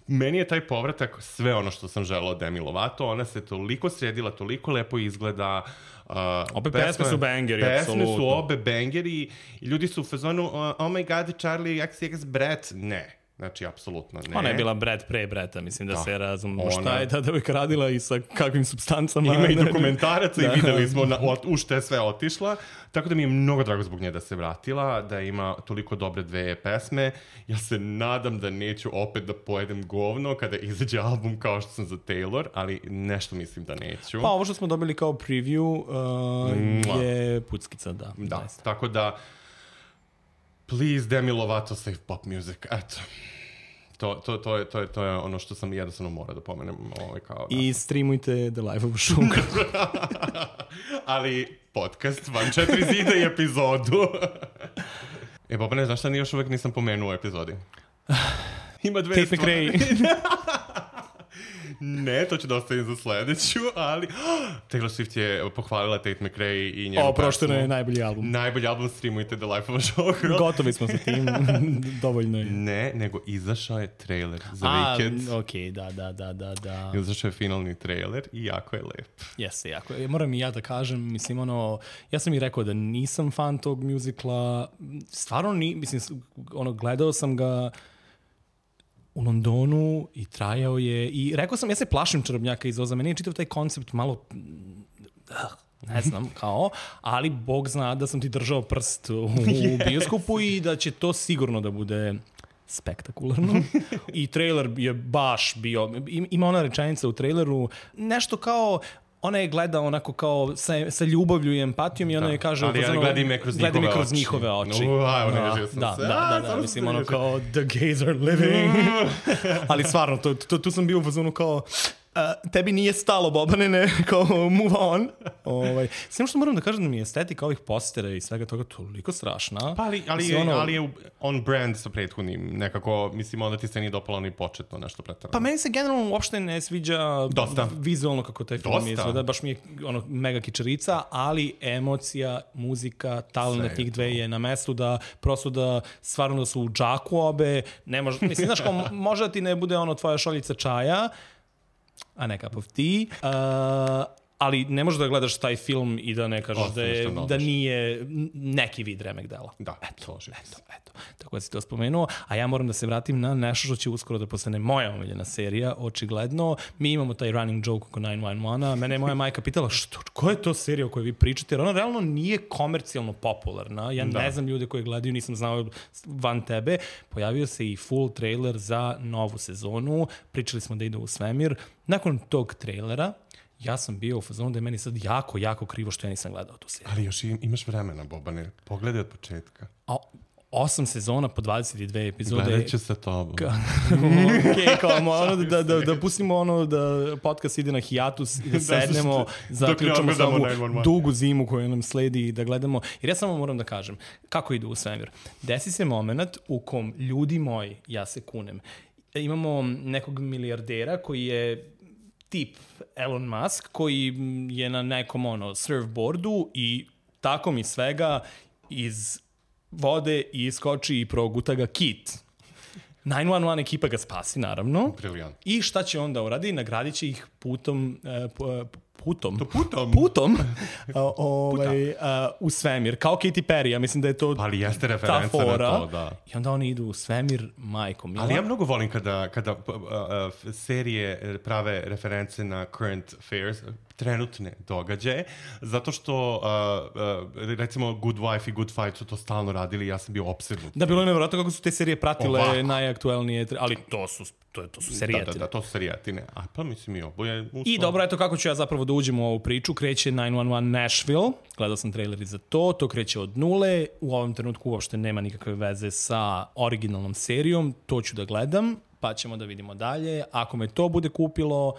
Meni je taj povratak sve ono što sam želao od Demi Lovato. Ona se toliko sredila, toliko lepo izgleda. Uh, obe pesme, pesme su bangeri, pesme apsolutno. Pesme su obe bangeri i ljudi su u fazonu uh, oh my god, Charlie X C X Brett. Ne. Znači, apsolutno ne. Ona je bila Brett pre Bretta, mislim da, da se razumno ona... šta je ta devojka radila i sa kakvim substancama. Ima i dokumentaraca i videli smo na, u što je sve otišla. Tako da mi je mnogo drago zbog nje da se vratila, da ima toliko dobre dve pesme. Ja se nadam da neću opet da pojedem govno kada izađe album kao što sam za Taylor, ali nešto mislim da neću. Pa ovo što smo dobili kao preview uh, je puckica, da. Da, nice. Tako da please, Demi Lovato, save pop music. Eto. To, to, to, je, to, je, to je ono što sam jednostavno mora da pomenem. Ovaj, kao, I streamujte The Life of a Sugar. Ali podcast, Van četiri zida i epizodu. E, Boba, ne znaš šta, ni još uvek nisam pomenuo u epizodi. Ima dve Tate stvari. Ne, to ću da ostavim za sledeću, ali Taylor Swift je pohvalila Tate McRae i njenu pesmu. Oprošteno je najbolji album. Najbolji album, streamujte The Life of a Showgirl. Gotovi smo sa tim, dovoljno je. Ne, nego izašao je trailer za A, Weekend. okej, da, da, da, da, da. Izašao je finalni trailer i jako je lep. Jeste, jako je. Moram i ja da kažem, mislim, ono, ja sam i rekao da nisam fan tog muzikla, stvarno ni, mislim, ono, gledao sam ga u Londonu i trajao je i rekao sam, ja se plašim čarobnjaka iz Oza, meni je čitav taj koncept malo, ne znam, kao, ali Bog zna da sam ti držao prst u bioskopu i da će to sigurno da bude spektakularno. I trailer je baš bio, ima ona rečenica u traileru, nešto kao, ona je gleda onako kao sa, sa ljubavlju i empatijom i ona je kaže... Ali ja gleda me kroz njihove oči. kroz njihove oči. No, aj, da, da, da, da, da, mislim ono kao the gays are living. Ali stvarno, to, to, tu sam bio u fazonu kao... Uh, tebi nije stalo, Bobane, ne, kao move on. Ovaj. Sve što moram da kažem da mi je estetika ovih postera i svega toga toliko strašna. Pa ali, ali, je, ono... ali je on brand sa prethodnim, nekako, mislim, onda ti se nije dopalo ni početno nešto pretarano. Pa meni se generalno uopšte ne sviđa Dosta. vizualno kako taj film Dosta. izgleda, baš mi je ono, mega kičarica, ali emocija, muzika, talent tih dve je na mestu da prosto da stvarno da su u džaku obe, ne može, mislim, znaš, kao, može da ti ne bude ono tvoja šoljica čaja, a ne cup of tea, uh, ali ne možeš da gledaš taj film i da ne kažeš o, da, je, da nije neki vid remek dela. Da, eto, eto, eto. Tako da si to spomenuo, a ja moram da se vratim na nešto što će uskoro da postane moja omiljena serija, očigledno. Mi imamo taj running joke oko nine one one, a mene je moja majka pitala što, koja je to serija o kojoj vi pričate, jer ona realno nije komercijalno popularna. Ja da. ne znam ljude koji gledaju, nisam znao van tebe. Pojavio se i full trailer za novu sezonu, pričali smo da ide u svemir. Nakon tog trailera, ja sam bio u fazonu da je meni sad jako, jako krivo što ja nisam gledao tu seriju. Ali još imaš vremena, Bobane. Pogledaj od početka. A, osam sezona po dvadeset dve epizode. Gledat ću sa tobom. Ka... ok, kao ono da, da, da pustimo ono da podcast ide na hijatus i da sednemo, zaključamo sa ovu dugu zimu koju nam sledi i da gledamo. Jer ja samo moram da kažem, kako ide u svemir. Desi se moment u kom ljudi moji, ja se kunem, imamo nekog milijardera koji je tip Elon Musk, koji je na nekom ono surfboardu i tako mi svega iz vode i iskoči i proguta ga kit. nine one one ekipa ga spasi, naravno. Briljant. I šta će onda uradi? Nagradit će ih putom, uh, putom, to putom, putom uh, ovaj, uh, u svemir, kao Katy Perry, ja mislim da je to ali jeste referenca na to, da. I onda oni idu u svemir, majko mila. Ali ja mnogo volim kada, kada uh, uh, serije prave reference na current affairs, trenutne događaje, zato što uh, uh, recimo Good Wife i Good Fight su to stalno radili, ja sam bio opsednut. Da, bilo je nevjerojatno kako su te serije pratile Ovako. najaktuelnije, ali to su, to, to su serijetine. Da, da, da, to su serijetine. A pa mislim i oboje. Uslo... I dobro, eto kako ću ja zapravo da uđem u ovu priču. Kreće nine one one Nashville, gledao sam traileri za to, to kreće od nule, u ovom trenutku uopšte nema nikakve veze sa originalnom serijom, to ću da gledam, pa ćemo da vidimo dalje. Ako me to bude kupilo,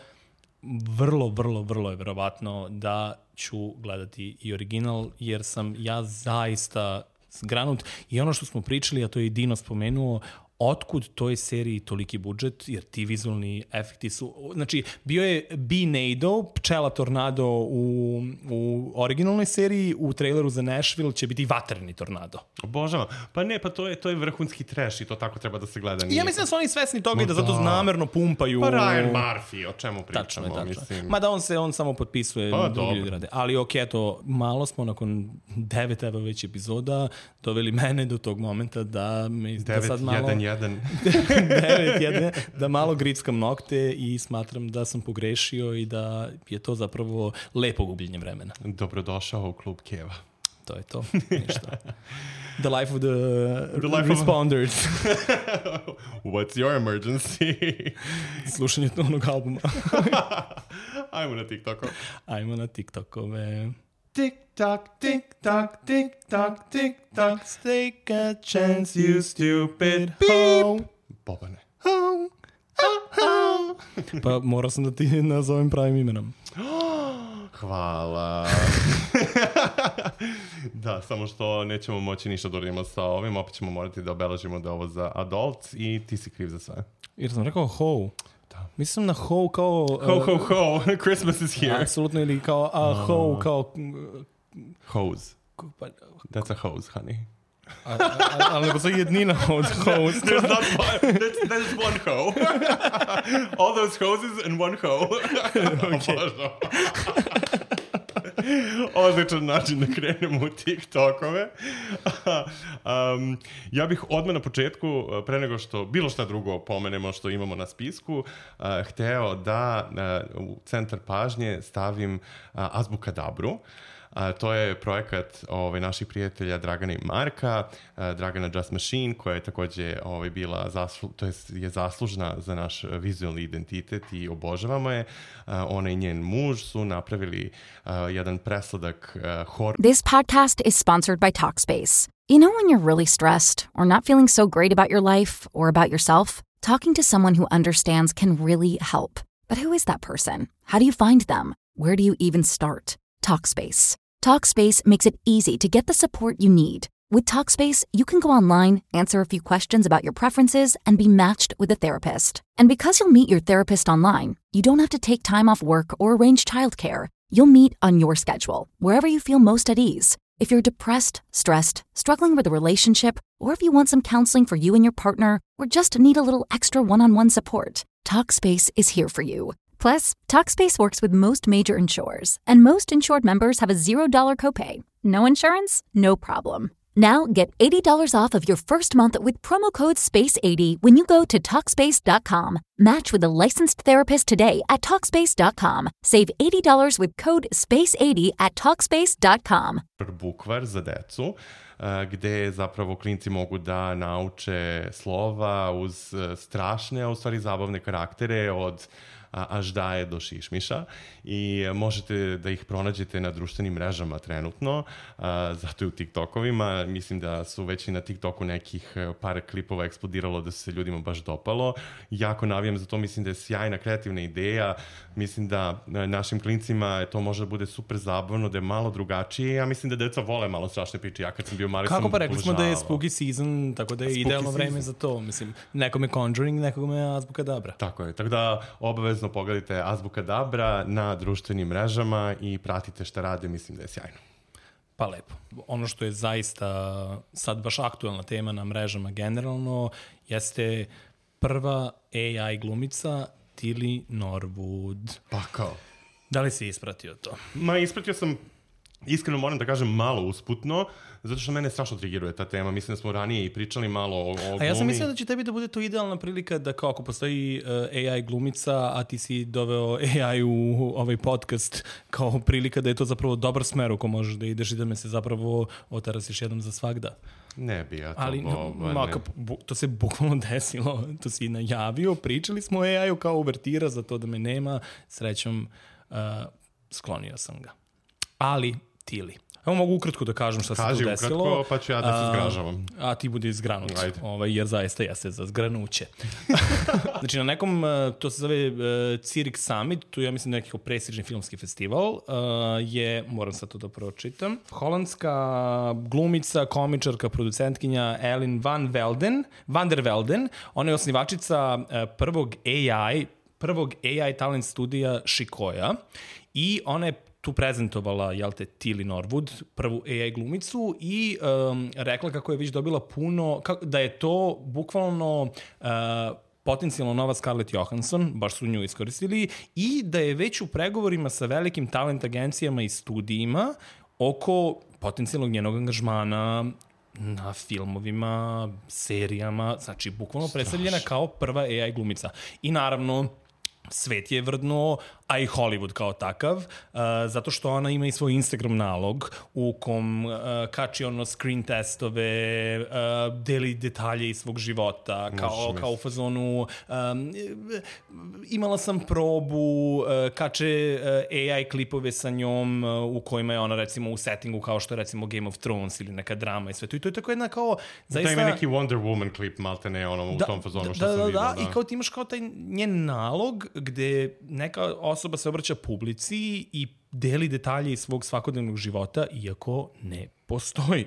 vrlo, vrlo, vrlo je verovatno da ću gledati i original, jer sam ja zaista zgranut. I ono što smo pričali, a to je i Dino spomenuo, otkud toj seriji toliki budžet, jer ti vizualni efekti su... Znači, bio je B-Nado, pčela tornado u, u originalnoj seriji, u traileru za Nashville će biti vatreni tornado. Obožavam. Pa ne, pa to je, to je vrhunski trash i to tako treba da se gleda. I ja mislim da su oni svesni toga i da zato namerno pumpaju... Pa Ryan Murphy, o čemu pričamo, tačno je, tačno. mislim. Mada on se, on samo potpisuje, pa, drugi ljudi rade. Ali ok, eto, malo smo nakon devet evo već epizoda doveli mene do tog momenta da me da sad malo... Jedan. devet jedan, da malo grickam nokte i smatram da sam pogrešio i da je to zapravo lepo gubljenje vremena. Dobrodošao u klub Keva. To je to, ništa. The life of the, the life responders. Of... What's your emergency? Slušanje onog albuma. Ajmo na TikToku. Ajmo na TikTokove. Tick-tock, tick-tock, tick-tock, tick-tock, take a chance, you stupid hoe. Bobane. Ho, ho, ho. Pa morao sam da ti nazovem pravim imenom. Hvala. Da, samo što nećemo moći ništa da uradimo sa ovim, opet ćemo morati da obeležimo da je ovo za adults i ti si kriv za sve. Jer sam rekao ho. Mislim na ho kao... Uh, ho, ho, ho, Christmas is here. Apsolutno, ili kao uh, ho, kao... Uh, hose. That's a hose, honey. Ali ne postoji jednina od hose. There's not one, there's, there's one ho. All those hoses and one ho. Okay. Odličan način da krenemo u TikTokove. um, ja bih odmah na početku, pre nego što bilo šta drugo pomenemo što imamo na spisku, uh, hteo da uh, u centar pažnje stavim uh, Azbukadabru. A, to je projekat ovaj, naših prijatelja Dragana i Marka, a, Dragana Just Machine, koja je takođe ovaj, bila zaslu, to je, je zaslužna za naš vizualni identitet i obožavamo je. A, ona i njen muž su napravili a, jedan presladak a, horor. This podcast is sponsored by Talkspace. You know when you're really stressed or not feeling so great about your life or about yourself? Talking to someone who understands can really help. But who is that person? How do you find them? Where do you even start? Talkspace. Talkspace makes it easy to get the support you need. With Talkspace, you can go online, answer a few questions about your preferences, and be matched with a therapist. And because you'll meet your therapist online, you don't have to take time off work or arrange childcare. You'll meet on your schedule, wherever you feel most at ease. If you're depressed, stressed, struggling with a relationship, or if you want some counseling for you and your partner, or just need a little extra one-on-one support, Talkspace is here for you. Plus, Talkspace works with most major insurers, and most insured members have a zero dollar copay. No insurance? No problem. Now get eighty dollars off of your first month with promo code space eighty when you go to Talkspace dot com. Match with a licensed therapist today at Talkspace dot com. Save eighty dollars with code space eighty at Talkspace dot com. Bukvar za decu, gde zapravo klinci mogu da nauče slova uz strašne, a u stvari zabavne karaktere od Aždaje do Šišmiša i možete da ih pronađete na društvenim mrežama trenutno, a, zato i u TikTokovima. Mislim da su već i na TikToku nekih par klipova eksplodiralo da se ljudima baš dopalo. Jako navijam za to, mislim da je sjajna kreativna ideja, mislim da našim klincima to može da bude super zabavno, da je malo drugačije. Ja mislim da deca vole malo strašne priče. Ja kad sam bio mali Kako sam pa rekli smo da je obožavao. spooky season, tako da je Spooky idealno vreme season. za to. Mislim, nekome Conjuring, nekome Azbukadabra. Tako je, tako da obavezno pogledajte Azbukadabra na društvenim mrežama i pratite šta rade, mislim da je sjajno. Pa lepo. Ono što je zaista sad baš aktuelna tema na mrežama generalno jeste prva A I glumica Tilly Norwood. Pa kao? Da li si ispratio to? Ma, ispratio sam, iskreno moram da kažem, malo usputno, zato što mene strašno trigiruje ta tema. Mislim da smo ranije i pričali malo o, o glumi. A ja sam mislio da će tebi da bude to idealna prilika da kao ako postoji uh, A I glumica, a ti si doveo A I u ovaj podcast kao prilika da je to zapravo dobar smer u ko možeš da ideš i da me se zapravo otarasiš jednom za svagda. Ne bi ja to... Ali bo, no, maka, bu, to se bukvalno desilo, to si najavio, pričali smo o A I-u kao uvertira za to da me nema, srećom uh, sklonio sam ga. Ali, Tilly. Evo mogu ukratko da kažem šta Kaži se tu desilo. Kaži ukratko, pa ću ja da se zgražavam. A, a ti bude izgranut, ovaj, jer zaista jeste za zgranuće. Znači na nekom, to se zove uh, Zurich Summit, tu ja mislim neki prestižni filmski festival, uh, je, moram sad to da pročitam, holandska glumica, komičarka, producentkinja Ellen van Velden, van der Velden, ona je osnivačica uh, prvog A I, prvog A I talent studija Shikoya i ona je tu prezentovala, jel te, Tilly Norwood, prvu A I glumicu i um, rekla kako je već dobila puno, kako, da je to bukvalno uh, potencijalno nova Scarlett Johansson, baš su nju iskoristili, i da je već u pregovorima sa velikim talent agencijama i studijima oko potencijalnog njenog angažmana na filmovima, serijama, znači bukvalno predstavljena kao prva A I glumica. I naravno, svet je vrdnuo, a i Hollywood kao takav, uh, zato što ona ima i svoj Instagram nalog u kom uh, kači ono screen testove, uh, deli detalje iz svog života, kao, kao u fazonu um, imala sam probu, uh, kače uh, A I klipove sa njom uh, u kojima je ona recimo u settingu kao što je recimo Game of Thrones ili neka drama i sve to. I to je tako jedna kao zaista... Da ima neki Wonder Woman klip, malte ne, ono, da, u tom fazonu što da, sam da, vidio. Da, da, i kao ti imaš kao taj njen nalog gde neka osoba se obraća publici i deli detalje iz svog svakodnevnog života, iako ne postoji.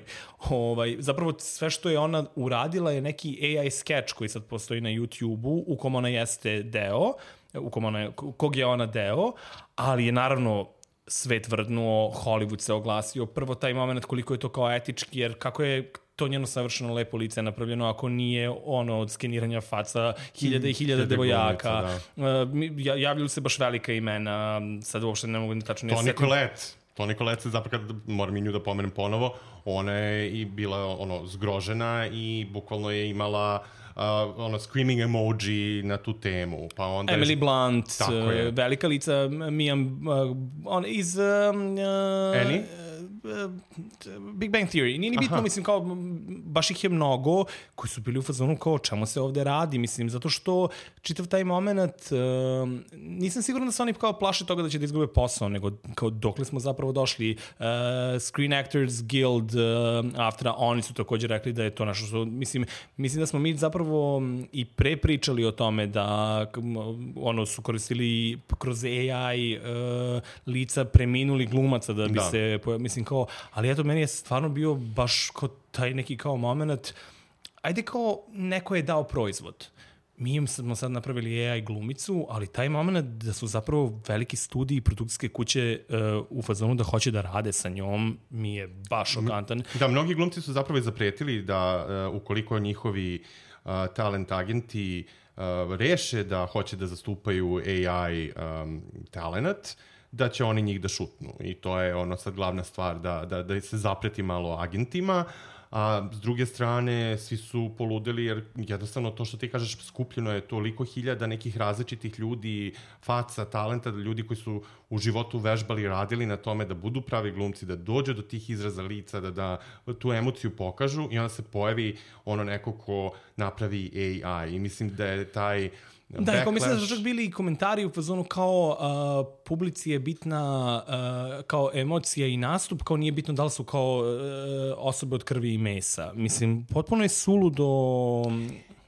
Ovaj, zapravo sve što je ona uradila je neki A I sketch koji sad postoji na YouTube-u, u kom ona jeste deo, u kom ona, kog je ona deo, ali je naravno svet vrdnuo, Hollywood se oglasio. Prvo taj moment koliko je to kao etički, jer kako je to njeno savršeno lepo lice napravljeno ako nije ono od skeniranja faca hiljade i hiljade devojaka. Da. Javljaju se baš velika imena, sad uopšte ne mogu tačno... Toni Collette. Toni Collette se zapravo, kad moram i nju da pomenem ponovo, ona je i bila ono zgrožena i bukvalno je imala uh, ono screaming emoji na tu temu. Pa onda Emily je... Blunt, uh, velika lica, Mia, uh, on iz... Uh, Annie? Big Bang Theory. Nije ni bitno, Aha. mislim, kao, baš ih je mnogo koji su bili u fazonu kao čemu se ovde radi, mislim, zato što čitav taj moment, uh, nisam siguran da se oni kao plaše toga da će da izgube posao, nego kao dokle smo zapravo došli. Uh, Screen Actors Guild, uh, Aftra, oni su također rekli da je to nešto što, mislim, mislim da smo mi zapravo i pre pričali o tome da ono su koristili kroz A I uh, lica preminuli glumaca da bi da. se, mislim, kao, ali eto, meni je stvarno bio baš kao taj neki kao moment, ajde kao neko je dao proizvod. Mi smo sad napravili A I glumicu, ali taj moment da su zapravo veliki studiji i produkcijske kuće uh, u fazonu da hoće da rade sa njom, mi je baš šokantan. Da, mnogi glumci su zapravo i zapretili da uh, ukoliko njihovi uh, talent agenti uh, reše da hoće da zastupaju A I um, talent, da će oni njih da šutnu. I to je ono sad glavna stvar, da, da, da se zapreti malo agentima, a s druge strane svi su poludeli jer jednostavno to što ti kažeš skupljeno je toliko hiljada nekih različitih ljudi, faca, talenta, ljudi koji su u životu vežbali, radili na tome da budu pravi glumci, da dođu do tih izraza lica, da, da tu emociju pokažu i onda se pojavi ono neko ko napravi A I. I mislim da je taj Da, backlash... mislim da su čak bili i komentari u fazonu kao uh, publici je bitna uh, kao emocija i nastup, kao nije bitno da li su kao uh, osobe od krvi i mesa. Mislim, potpuno je suludo...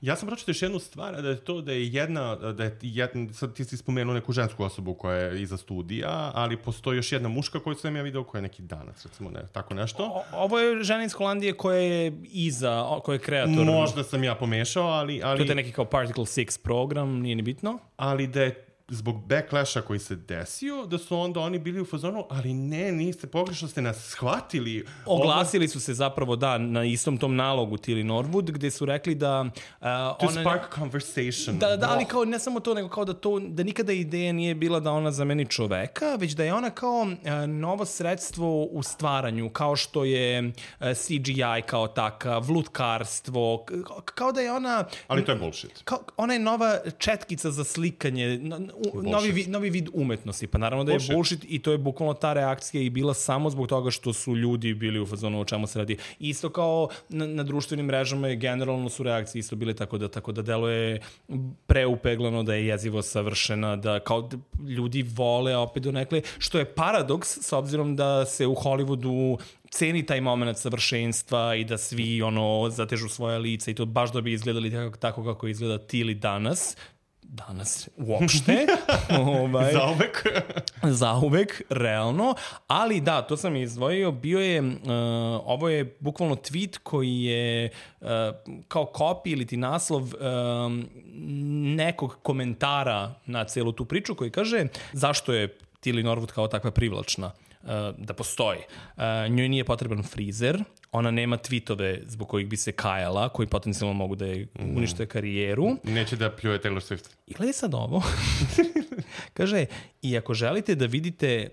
Ja sam pročitao još jednu stvar, da je to da je jedna, da je jedna, sad ti si spomenuo neku žensku osobu koja je iza studija, ali postoji još jedna muška koju sam ja video koja je neki Danac, recimo, ne, tako nešto. O, ovo je žena iz Holandije koja je iza, koja je kreator. Možda sam ja pomešao, ali... ali to je neki kao Particle šest program, nije ni bitno. Ali da je zbog backlasha koji se desio, da su onda oni bili u fazonu, ali ne, niste, pogrešno ste nas shvatili. Oglasili su se zapravo, da, na istom tom nalogu Tilly Norwood, gde su rekli da... Uh, to ona, spark conversation. Da, da, ali kao, ne samo to, nego kao da to, da nikada ideja nije bila da ona zameni čoveka, već da je ona kao uh, novo sredstvo u stvaranju, kao što je uh, C G I kao takav, lutkarstvo, kao da je ona... Ali to je bullshit. Kao, ona je nova četkica za slikanje, no, u, novi, vid, novi vid umetnosti. Pa naravno da je bullshit. bullshit i to je bukvalno ta reakcija i bila samo zbog toga što su ljudi bili u fazonu o čemu se radi. Isto kao na, na društvenim mrežama je generalno su reakcije isto bile tako da, tako da deluje preupeglano, da je jezivo savršena, da kao da ljudi vole opet donekle, što je paradoks s obzirom da se u Hollywoodu ceni taj moment savršenstva i da svi ono zatežu svoja lica i to baš da bi izgledali tako, tako kako izgleda Tilly danas. Danas uopšte. ovaj, Zauvek. Zauvek, realno. Ali da, to sam izdvojio. Bio je, uh, ovo je bukvalno tweet koji je uh, kao copy ili ti naslov um, nekog komentara na celu tu priču koji kaže zašto je Tilly Norwood kao takva privlačna. Uh, da postoji. Uh, njoj nije potreban frizer, ona nema tweetove zbog kojih bi se kajala, koji potencijalno mogu da je unište karijeru. Neće da pljuje Taylor Swift. I gledaj sad ovo. Kaže, i ako želite da vidite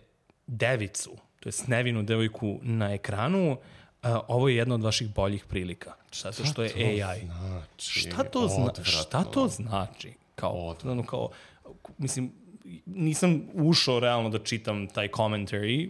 devicu, to je nevinu devojku na ekranu, uh, ovo je jedna od vaših boljih prilika. Šta to što je A I? Znači? Šta to, zna, šta to znači? Kao, ono, kao, mislim, nisam ušao realno da čitam taj commentary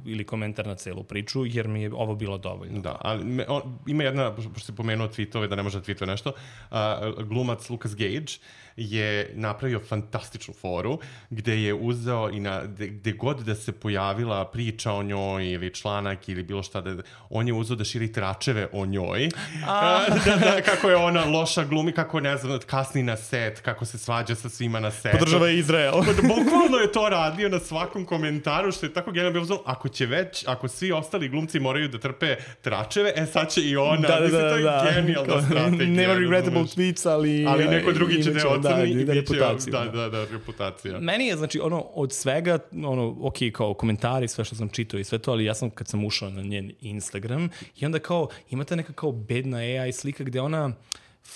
ili komentar na celu priču, jer mi je ovo bilo dovoljno. Da, ali me, on, ima jedna, pošto si pomenuo tweetove, da ne može da tweetuje nešto, uh, glumac Lucas Gage je napravio fantastičnu foru gde je uzeo i na, gde, gde god da se pojavila priča o njoj ili članak ili bilo šta, da, on je uzeo da širi tračeve o njoj. A... da, da, kako je ona loša glumi, kako ne znam, kasni na set, kako se svađa sa svima na setu. Podržava Izrael. Bukvalno je to radio na svakom komentaru, što je tako genijalno bilo uzelo. Ako će već, ako svi ostali glumci moraju da trpe tračeve, e sad će i ona. Da, da, mislim, da, to je da. genijalna strategija. Nema regrettable tweets, ali... Ali neko drugi će da ocrni i da, bit će... reputaciju. Da, da, da, reputacija. Meni je, znači, ono, od svega, ono, ok, kao komentari, sve što sam čitao i sve to, ali ja sam, kad sam ušao na njen Instagram, i onda kao, imate neka kao bedna A I slika gde ona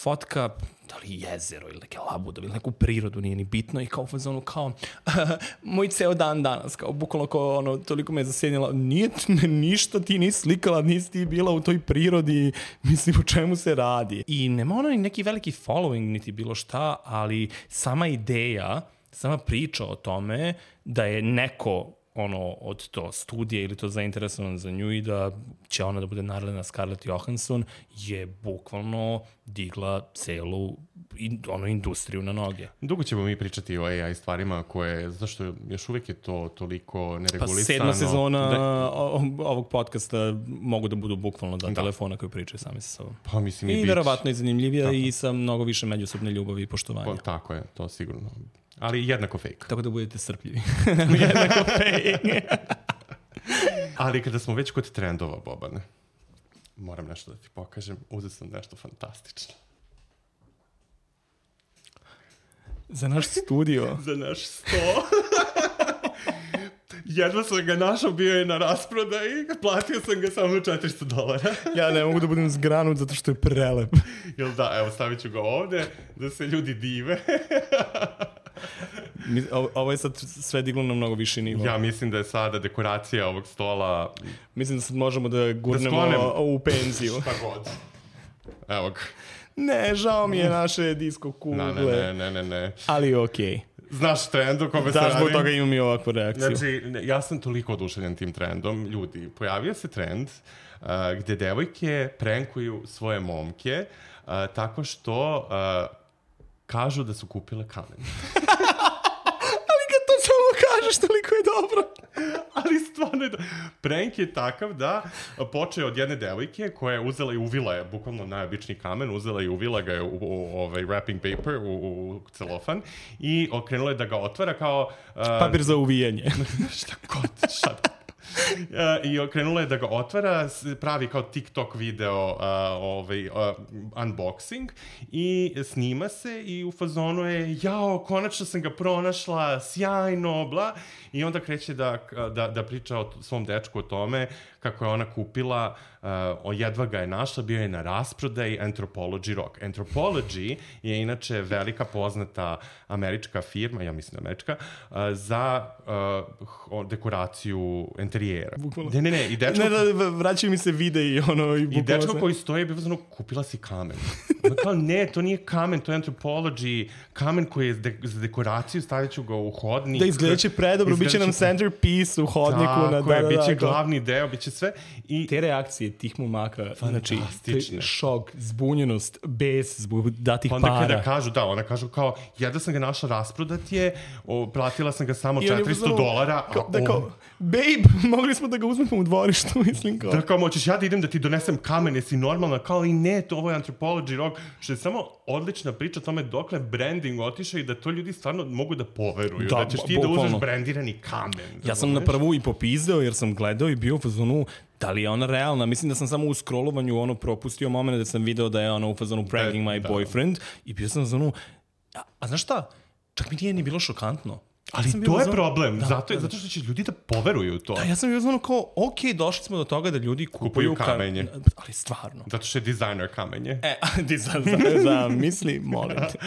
fotka, da li jezero ili neke labude ili neku prirodu, nije ni bitno, i kao fazonu kao moj ceo dan danas, kao bukvalno kao ono, toliko me je zasjenjala, nije ništa ti nisi slikala, nisi ti bila u toj prirodi, mislim o čemu se radi. I nema ono ni neki veliki following niti bilo šta, ali sama ideja, sama priča o tome da je neko ono, od to studije ili to zainteresovan za nju i da će ona da bude naredna Scarlett Johansson je bukvalno digla celu in, ono, industriju na noge. Dugo ćemo mi pričati o A I stvarima koje, zato što još uvijek je to toliko neregulisano. Pa sedma sezona da... ovog podcasta mogu da budu bukvalno da, da. telefona koji pričaju sami sa sobom. Pa mislim i, I verovatno je zanimljivija tako. I sa mnogo više međusobne ljubavi i poštovanja. Pa, tako je, to sigurno. Ali jednako fake. Tako da budete strpljivi. Jednako fake. Ali kada smo već kod trendova, Bobane, moram nešto da ti pokažem. Uzeo sam nešto fantastično. Za naš studio. Za naš sto. Jedva sam ga našao, bio je na rasprodaji, platio sam ga samo četiristo dolara. Ja ne mogu da budem zgranut zato što je prelep. Jel da, evo stavit ću ga ovde, da se ljudi dive. Ovo je sad sve diglo na mnogo viši nivo. Ja mislim da je sada dekoracija ovog stola... Mislim da sad možemo da gurnemo da u penziju. Šta god. Evo ga. Ne, žao mi je naše disko kugle. Ne, ne, ne, ne, ne. Ali okej. Okay. Znaš trend u kome se radi? Da, zbog toga imam i ovakvu reakciju. Znači, ja sam toliko oduševljen tim trendom. Ljudi, pojavio se trend uh, gde devojke prankuju svoje momke uh, tako što uh, kažu da su kupile kamen. Ali kad to samo kažeš, toliko je dobro. Ali stvarno je... Prank je takav da počeo od jedne devojke koja je uzela i uvila je, bukvalno najobičniji kamen, uzela i uvila ga je u, u, u ovaj wrapping paper, u, u celofan i okrenula je da ga otvara kao... Uh, papir za uvijanje. šta god, šta I krenula je da ga otvara, pravi kao TikTok video uh, ovaj, uh, unboxing i snima se i u fazonu je, jao, konačno sam ga pronašla, sjajno, bla. I onda kreće da, da, da priča o svom dečku o tome kako je ona kupila, uh, jedva ga je našla, bio je na rasprodaji Anthropology Rock. Anthropology je inače velika poznata američka firma, ja mislim američka, uh, za uh, dekoraciju interijera. Bukvalno. Ne, ne, ne. I dečko, ne, da, vraćaju mi se videi ono i bukvalno. I dečko koji stoji, bi pozvano, kupila si kamen. Kao, ne, to nije kamen, to je Anthropology, kamen koji je de, za dekoraciju, stavit ću ga u hodnik. Da, izgledat će predobro, bit će nam centerpiece u hodniku. Tako na, da, je, da, bit će da, glavni deo, bit će sve. I te reakcije tih momaka, znači, šok, zbunjenost, bes, zbog datih onda para. Kada kažu, da, ona kažu kao, jedva sam ga našla rasprodat je, o, platila sam ga samo četiristo dolara. Kao, da kao, babe, mogli smo da ga uzmemo u dvorištu, mislim kao. Da kao, moćeš ja da idem da ti donesem kamen, jesi normalna, kao i ne, to ovo je Anthropology Rock, što je samo odlična priča o tome dokle branding otišao i da to ljudi stvarno mogu da poveruju, da, da ćeš ti bukvalno da uzmeš brandirani kamen. Ja sam na prvu i popizdeo jer sam gledao i bio u fazonu, da li je ona realna? Mislim da sam samo u scrollovanju ono propustio moment da sam video da je ona u fazonu pranking my da. boyfriend i bio sam u fazonu, a, a znaš šta? Čak mi nije ni bilo šokantno. Ali ja to je zvon... problem, da, zato, da. zato što će ljudi da poveruju u to. Da, ja sam bio zvonu kao, ok, došli smo do toga da ljudi kupuju, kupuju kamenje. Ka... Ali stvarno. Zato što je dizajner kamenje. E, dizajner za misli, molim te.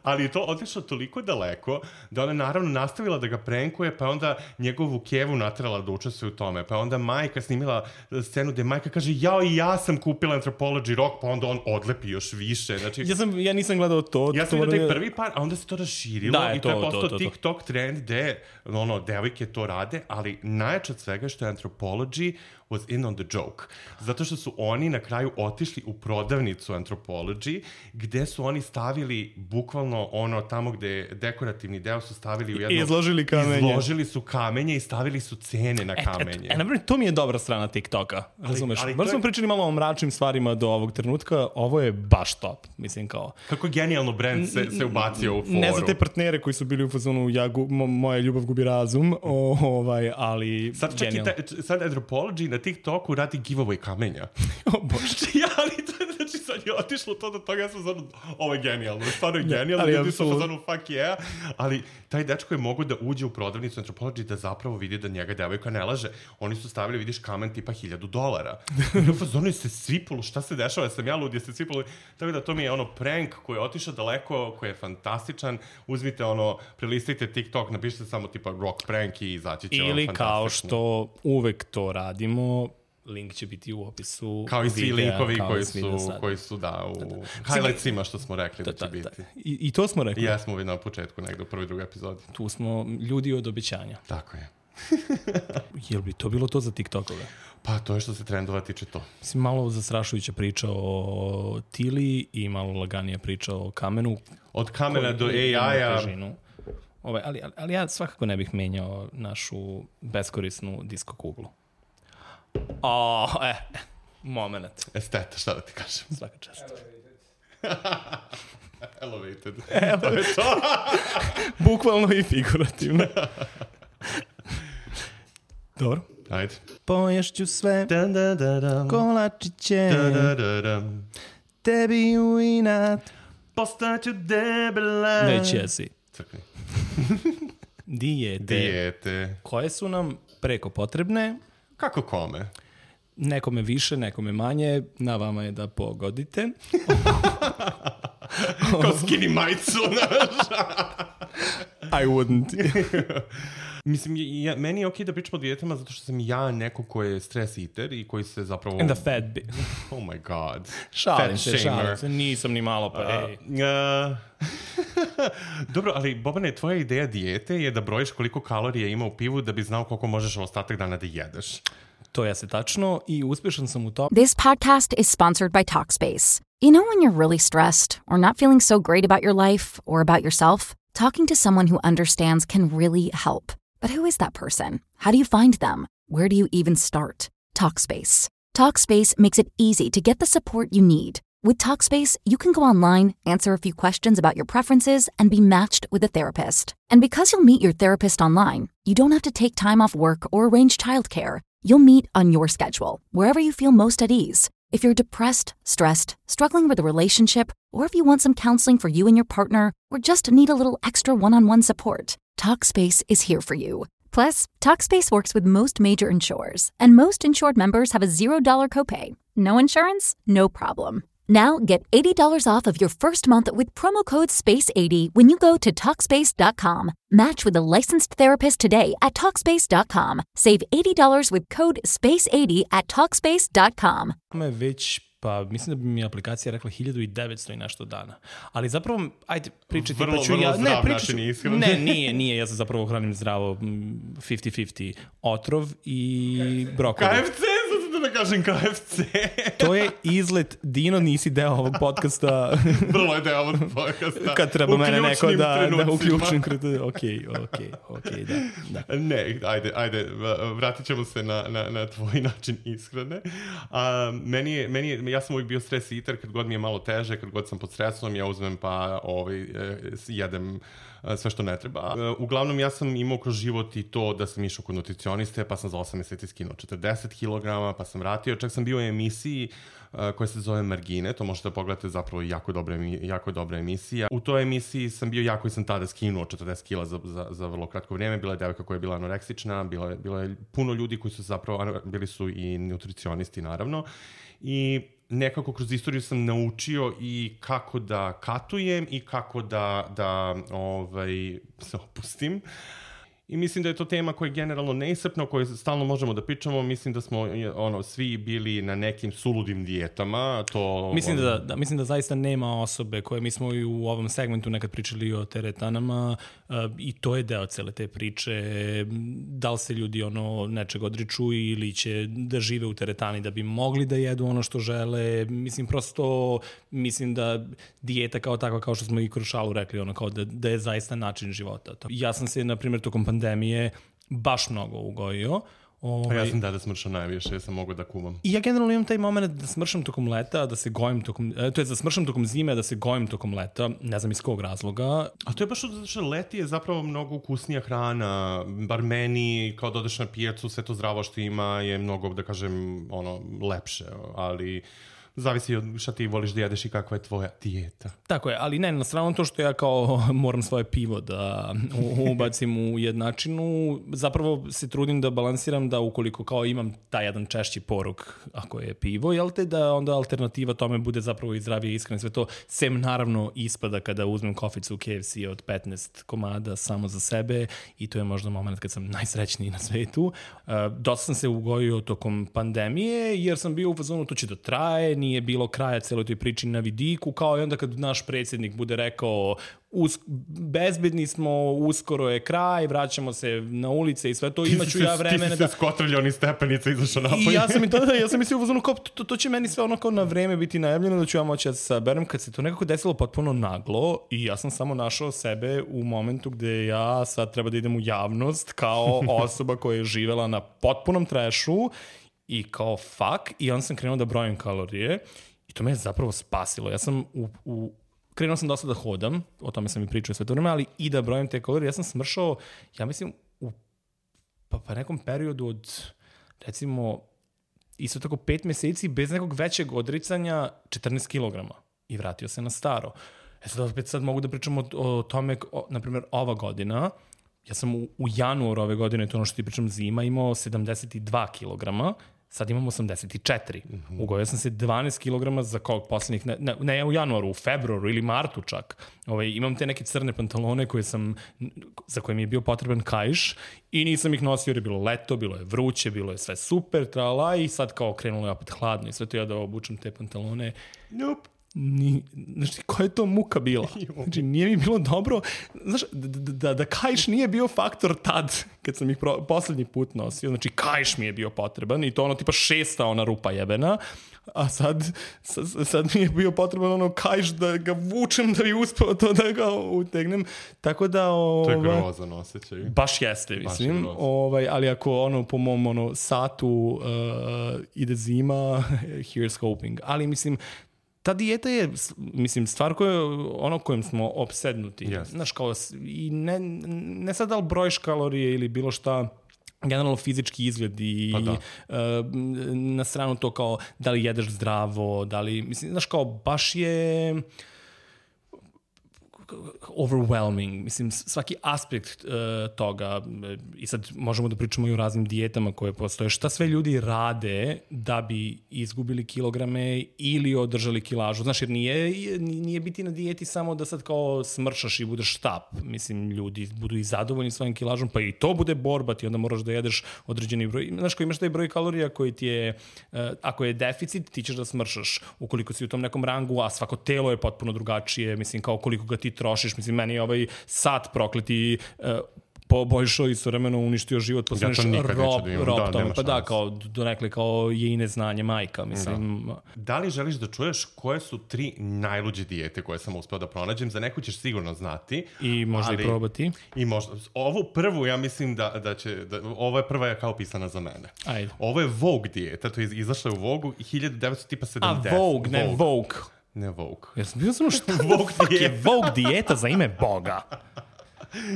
Ali je to otišlo toliko daleko da ona naravno nastavila da ga prankuje, pa onda njegovu kevu natrala da učestvuje u tome. Pa onda majka snimila scenu gde majka kaže, jao i ja sam kupila Anthropology Rock, pa onda on odlepi još više. Znači, ja, sam, ja nisam gledao to. Ja sam to vidio taj prvi par, a onda se to raširilo da, i to, to je postao to, to, to. TikTok trend gde ono, devojke to rade, ali najjače od svega što je Anthropology was in on the joke. Zato što su oni na kraju otišli u prodavnicu Anthropology, gde su oni stavili bukvalno ono tamo gde dekorativni deo su stavili u jedno... I izložili kamenje. Izložili su kamenje i stavili su cene na kamenje. E, e, e, to mi je dobra strana TikToka, razumeš? Bar smo je... pričali malo o mračnim stvarima do ovog trenutka, ovo je baš top, mislim kao... Kako genijalno brand se, se ubacio u foru. Ne za te partnere koji su bili u fazonu ja gu, mo, moja ljubav gubi razum, o, ovaj, ali sad čak i ta, sad Anthropology na TikToku radi giveaway kamenja. O bože. Ja, ali to, znači sad je otišlo to do toga, ja sam zonu, ovo je genijalno, stvarno je genijalno, ali ljudi su absolut... zonu fuck yeah, ali taj dečko je mogu da uđe u prodavnicu Anthropology da zapravo vidi da njega devojka ne laže. Oni su stavili, vidiš, kamen tipa hiljadu dolara. I u fazonu je se svipalo, šta se dešava, sam ja lud, je se svipalo. Tako da to mi je ono prank koji je otišao daleko, koji je fantastičan. Uzmite ono, prelistite TikTok, napišite samo tipa rock prank i izaći će vam fantastično. Ili kao što uvek to radimo, link će biti u opisu. Kao i svi videa, linkovi koji su, koji su, da, u da, da. highlightsima što smo rekli da, da će da, biti. Da. I, I to smo rekli. I ja smo vidjeli na početku, negdje u prvoj drugoj epizodi. Tu smo ljudi od obećanja. Tako je. Jel bi to bilo to za TikTokove? Pa to je što se trendova tiče to. Mislim, malo zastrašujuća priča o Tili i malo laganija priča o kamenu. Od kamena do A I-a. Ovaj, ali, ali, ali ja svakako ne bih menjao našu beskorisnu disko kuglu. O, e, e, moment. Esteta, šta da ti kažem? Svaka čast. Elevated. Elevated. To je to. Bukvalno i figurativno. Dobro. Ajde. Poješću sve da, da, da, da. kolačiće da, da, da, da. tebi u inat postaću debela. Već jesi. Crkni. Dijete. Dijete. Koje su nam preko potrebne. Kako kome? Nekome više, nekome manje. Na vama je da pogodite. Kao skinny majicu, znaš. I wouldn't. Mislim, ja, meni je okej da pričamo o dijetama zato što sam ja neko ko je stress eater i koji se zapravo... And the fat bit. Oh my god. Šalim se, šalim se. Nisam ni malo pa, ej. Uh, uh, Dobro, ali Bobane, tvoja ideja dijete je da brojiš koliko kalorija ima u pivu da bi znao koliko možeš ostatak dana da jedeš. To jeste tačno i uspešan sam u to. This podcast is sponsored by Talkspace. You know when you're really stressed or not feeling so great about your life or about yourself? Talking to someone who understands can really help. But who is that person? How do you find them? Where do you even start? Talkspace. Talkspace makes it easy to get the support you need. With Talkspace, you can go online, answer a few questions about your preferences, and be matched with a therapist. And because you'll meet your therapist online, you don't have to take time off work or arrange childcare. You'll meet on your schedule, wherever you feel most at ease. If you're depressed, stressed, struggling with a relationship, or if you want some counseling for you and your partner, or just need a little extra one-on-one support, Talkspace is here for you. Plus, Talkspace works with most major insurers, and most insured members have a zero dollars copay. No insurance? No problem. Now get eighty dollars off of your first month with promo code space eighty when you go to Talkspace dot com. Match with a licensed therapist today at Talkspace dot com. Save eighty dollars with code space eighty at Talkspace dot com. Već, pa mislim da bi mi aplikacija rekla hiljadu i devetsto i nešto dana. Ali zapravo, ajde, pričati vrlo, pa ću vrlo ja... zdrav Ne, pričat ću, način ishrane. ne, nije, nije, ja sam zapravo hranim zdravo fifty fifty otrov i brokoli. K F C, sad da kažem K F C. To je izlet, Dino, nisi deo ovog podcasta. Vrlo je deo ovog podcasta. Kad treba mene neko da, da uključim. Ok, ok, ok, da, da. Ne, ajde, ajde, vratit ćemo se na, na, na tvoj način ishrane. A, meni je, meni je, ja sam uvijek bio stres eater, kad god mi je malo teže, kad god sam pod stresom, ja uzmem pa ovaj, jedem sve što ne treba. Uglavnom, ja sam imao kroz život i to da sam išao kod nutricioniste, pa sam za osam mjeseci skinuo četrdeset kilograma, pa sam vratio. Čak sam bio u emisiji uh, koja se zove Margine, to možete pogledati, zapravo jako dobra, jako dobra emisija. U toj emisiji sam bio jako i sam tada skinuo četrdeset kila za, za, za vrlo kratko vrijeme. Bila je devojka koja je bila anoreksična, bilo je, bilo je puno ljudi koji su zapravo, bili su i nutricionisti naravno. I nekako kroz istoriju sam naučio i kako da katujem i kako da, da ovaj, se opustim. I mislim da je to tema koja je generalno neiscrpna, o kojoj stalno možemo da pričamo. Mislim da smo ono, svi bili na nekim suludim dijetama. To, mislim, ono... da, da, mislim da zaista nema osobe koje, mi smo i u ovom segmentu nekad pričali o teretanama uh, i to je deo cele te priče. Da li se ljudi ono nečeg odriču ili će da žive u teretani da bi mogli da jedu ono što žele. Mislim, prosto mislim da dijeta kao takva, kao što smo i kroz šalu rekli, ono, kao da, da je zaista način života. To. Ja sam se, na primjer, tokom pandemije baš mnogo ugojio. Ovaj... A ja sam tada smršao najviše, ja sam mogao da kuvam. I ja generalno imam taj moment da smršam tokom leta, da se gojim tokom, to je da smršam tokom zime, da se gojim tokom leta, ne znam iz kog razloga. A to je baš zato što leti je zapravo mnogo ukusnija hrana, bar meni, kao da odeš na pijacu, sve to zdravo što ima je mnogo, da kažem, ono, lepše, ali... Zavisi od šta ti voliš da jedeš i kakva je tvoja dijeta. Tako je, ali ne, na stranu to što ja kao moram svoje pivo da ubacim u jednačinu, zapravo se trudim da balansiram da ukoliko kao imam taj jedan češći porok, ako je pivo, jel te, da onda alternativa tome bude zapravo i zdravije iskreno sve to, sem naravno ispada kada uzmem koficu u K F C od petnaest komada samo za sebe i to je možda moment kad sam najsrećniji na svetu. Uh, dosta sam se ugojio tokom pandemije jer sam bio u fazonu to će da traje, nije bilo kraja celoj toj priči na vidiku, kao i onda kad naš predsjednik bude rekao Us, bezbedni smo, uskoro je kraj, vraćamo se na ulice i sve to, imaću ja vremena da... Ti si se skotrljao ni stepenica, izašao napolje. I ja sam i tada, ja sam mislio u fazonu kao, to, to će meni sve ono kao na vreme biti najavljeno, da ću ja moći da se saberem, kad se to nekako desilo potpuno naglo i ja sam samo našao sebe u momentu gde ja sad treba da idem u javnost kao osoba koja je živela na potpunom trešu i kao fuck, i onda sam krenuo da brojim kalorije i to me je zapravo spasilo. Ja sam u, u krenuo sam dosta da hodam, o tome sam i pričao sve to vreme, ali i da brojim te kalorije. Ja sam smršao, ja mislim, u pa, pa nekom periodu od, recimo, isto tako pet meseci, bez nekog većeg odricanja, četrnaest kilograma. I vratio se na staro. E sad, opet sad mogu da pričam o, o tome, o, na primjer, ova godina, ja sam u, u januaru ove godine, to ono što ti pričam zima, imao sedamdeset dva kilograma, sad imam osamdeset četiri. Mm-hmm. Ugojio sam se dvanaest kilograma za kog posljednjih, ne, ne, ne u januaru, u februaru ili martu čak. Ovaj, imam te neke crne pantalone koje sam, za koje mi je bio potreban kaiš i nisam ih nosio jer je bilo leto, bilo je vruće, bilo je sve super, trala, i sad kao krenulo je opet hladno i sve to ja da obučem te pantalone. Nope. Ni, znači, koja je to muka bila? Znači, nije mi bilo dobro. Znaš, da, da, da kaiš nije bio faktor tad, kad sam ih pro, poslednji put nosio. Znači, kaiš mi je bio potreban i to ono tipa šesta ona rupa jebena. A sad, sad, sad mi je bio potreban ono kaiš da ga vučem da bi uspeo to da ga utegnem. Tako da... Ova, to je grozan osjećaj. Baš jeste, mislim. Baš ovaj, ali ako ono, po mom ono, satu uh, ide zima, here's hoping. Ali mislim, ta dijeta je, mislim, stvar koja, ono kojim smo opsednuti. Yes. Znaš, kao, i ne, ne sad da li brojiš kalorije ili bilo šta, generalno fizički izgled i pa da. uh, na stranu to kao da li jedeš zdravo, da li, mislim, znaš kao, baš je overwhelming, mislim, svaki aspekt uh, toga, i sad možemo da pričamo i o raznim dijetama koje postoje, šta sve ljudi rade da bi izgubili kilograme ili održali kilažu, znaš, jer nije, nije biti na dijeti samo da sad kao smršaš i budeš štap, mislim, ljudi budu i zadovoljni svojim kilažom, pa i to bude borba, ti onda moraš da jedeš određeni broj, znaš, ko imaš taj broj kalorija koji ti je, uh, ako je deficit, ti ćeš da smršaš, ukoliko si u tom nekom rangu, a svako telo je potpuno drugačije, mislim, kao koliko ga ti trošiš, mislim, meni je ovaj sat prokleti uh, poboljšao i istovremeno uništio život, postaneš ja rob, da rob da, tome, pa da, kao donekle kao je i neznanje majka, mislim. Da. Da li želiš da čuješ koje su tri najluđe dijete koje sam uspeo da pronađem? Za neku ćeš sigurno znati. I možda ali, i probati. I možda. Ovu prvu, ja mislim da, da će, da, ovo je prva je kao pisana za mene. Ajde. Ovo je Vogue dijeta, to je izašla u Vogue hiljadu devetsto sedamdeset. A, Vogue, ne Vogue. Ne Vogue. Ja sam bio samo šta Vogue je Vogue dijeta za ime Boga.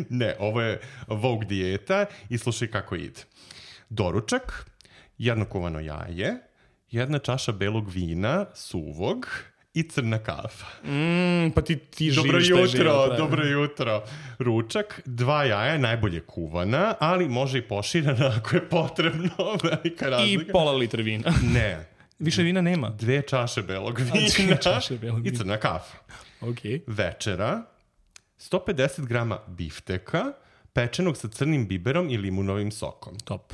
Ne, ovo je Vogue dijeta i slušaj kako ide. Doručak, jedno kuvano jaje, jedna čaša belog vina, suvog i crna kafa. Mm, pa ti, ti dobro živiš jutro, taj život. Dobro jutro. Ručak, dva jaja, najbolje kuvana, ali može i poširana ako je potrebno. Velika razlika. I pola litra vina. Ne. Više vina nema. Dve čaše belog vina. Dve čaše belog vina. I crna kafa. Okay. Večera, sto pedeset grama bifteka, pečenog sa crnim biberom i limunovim sokom. Top.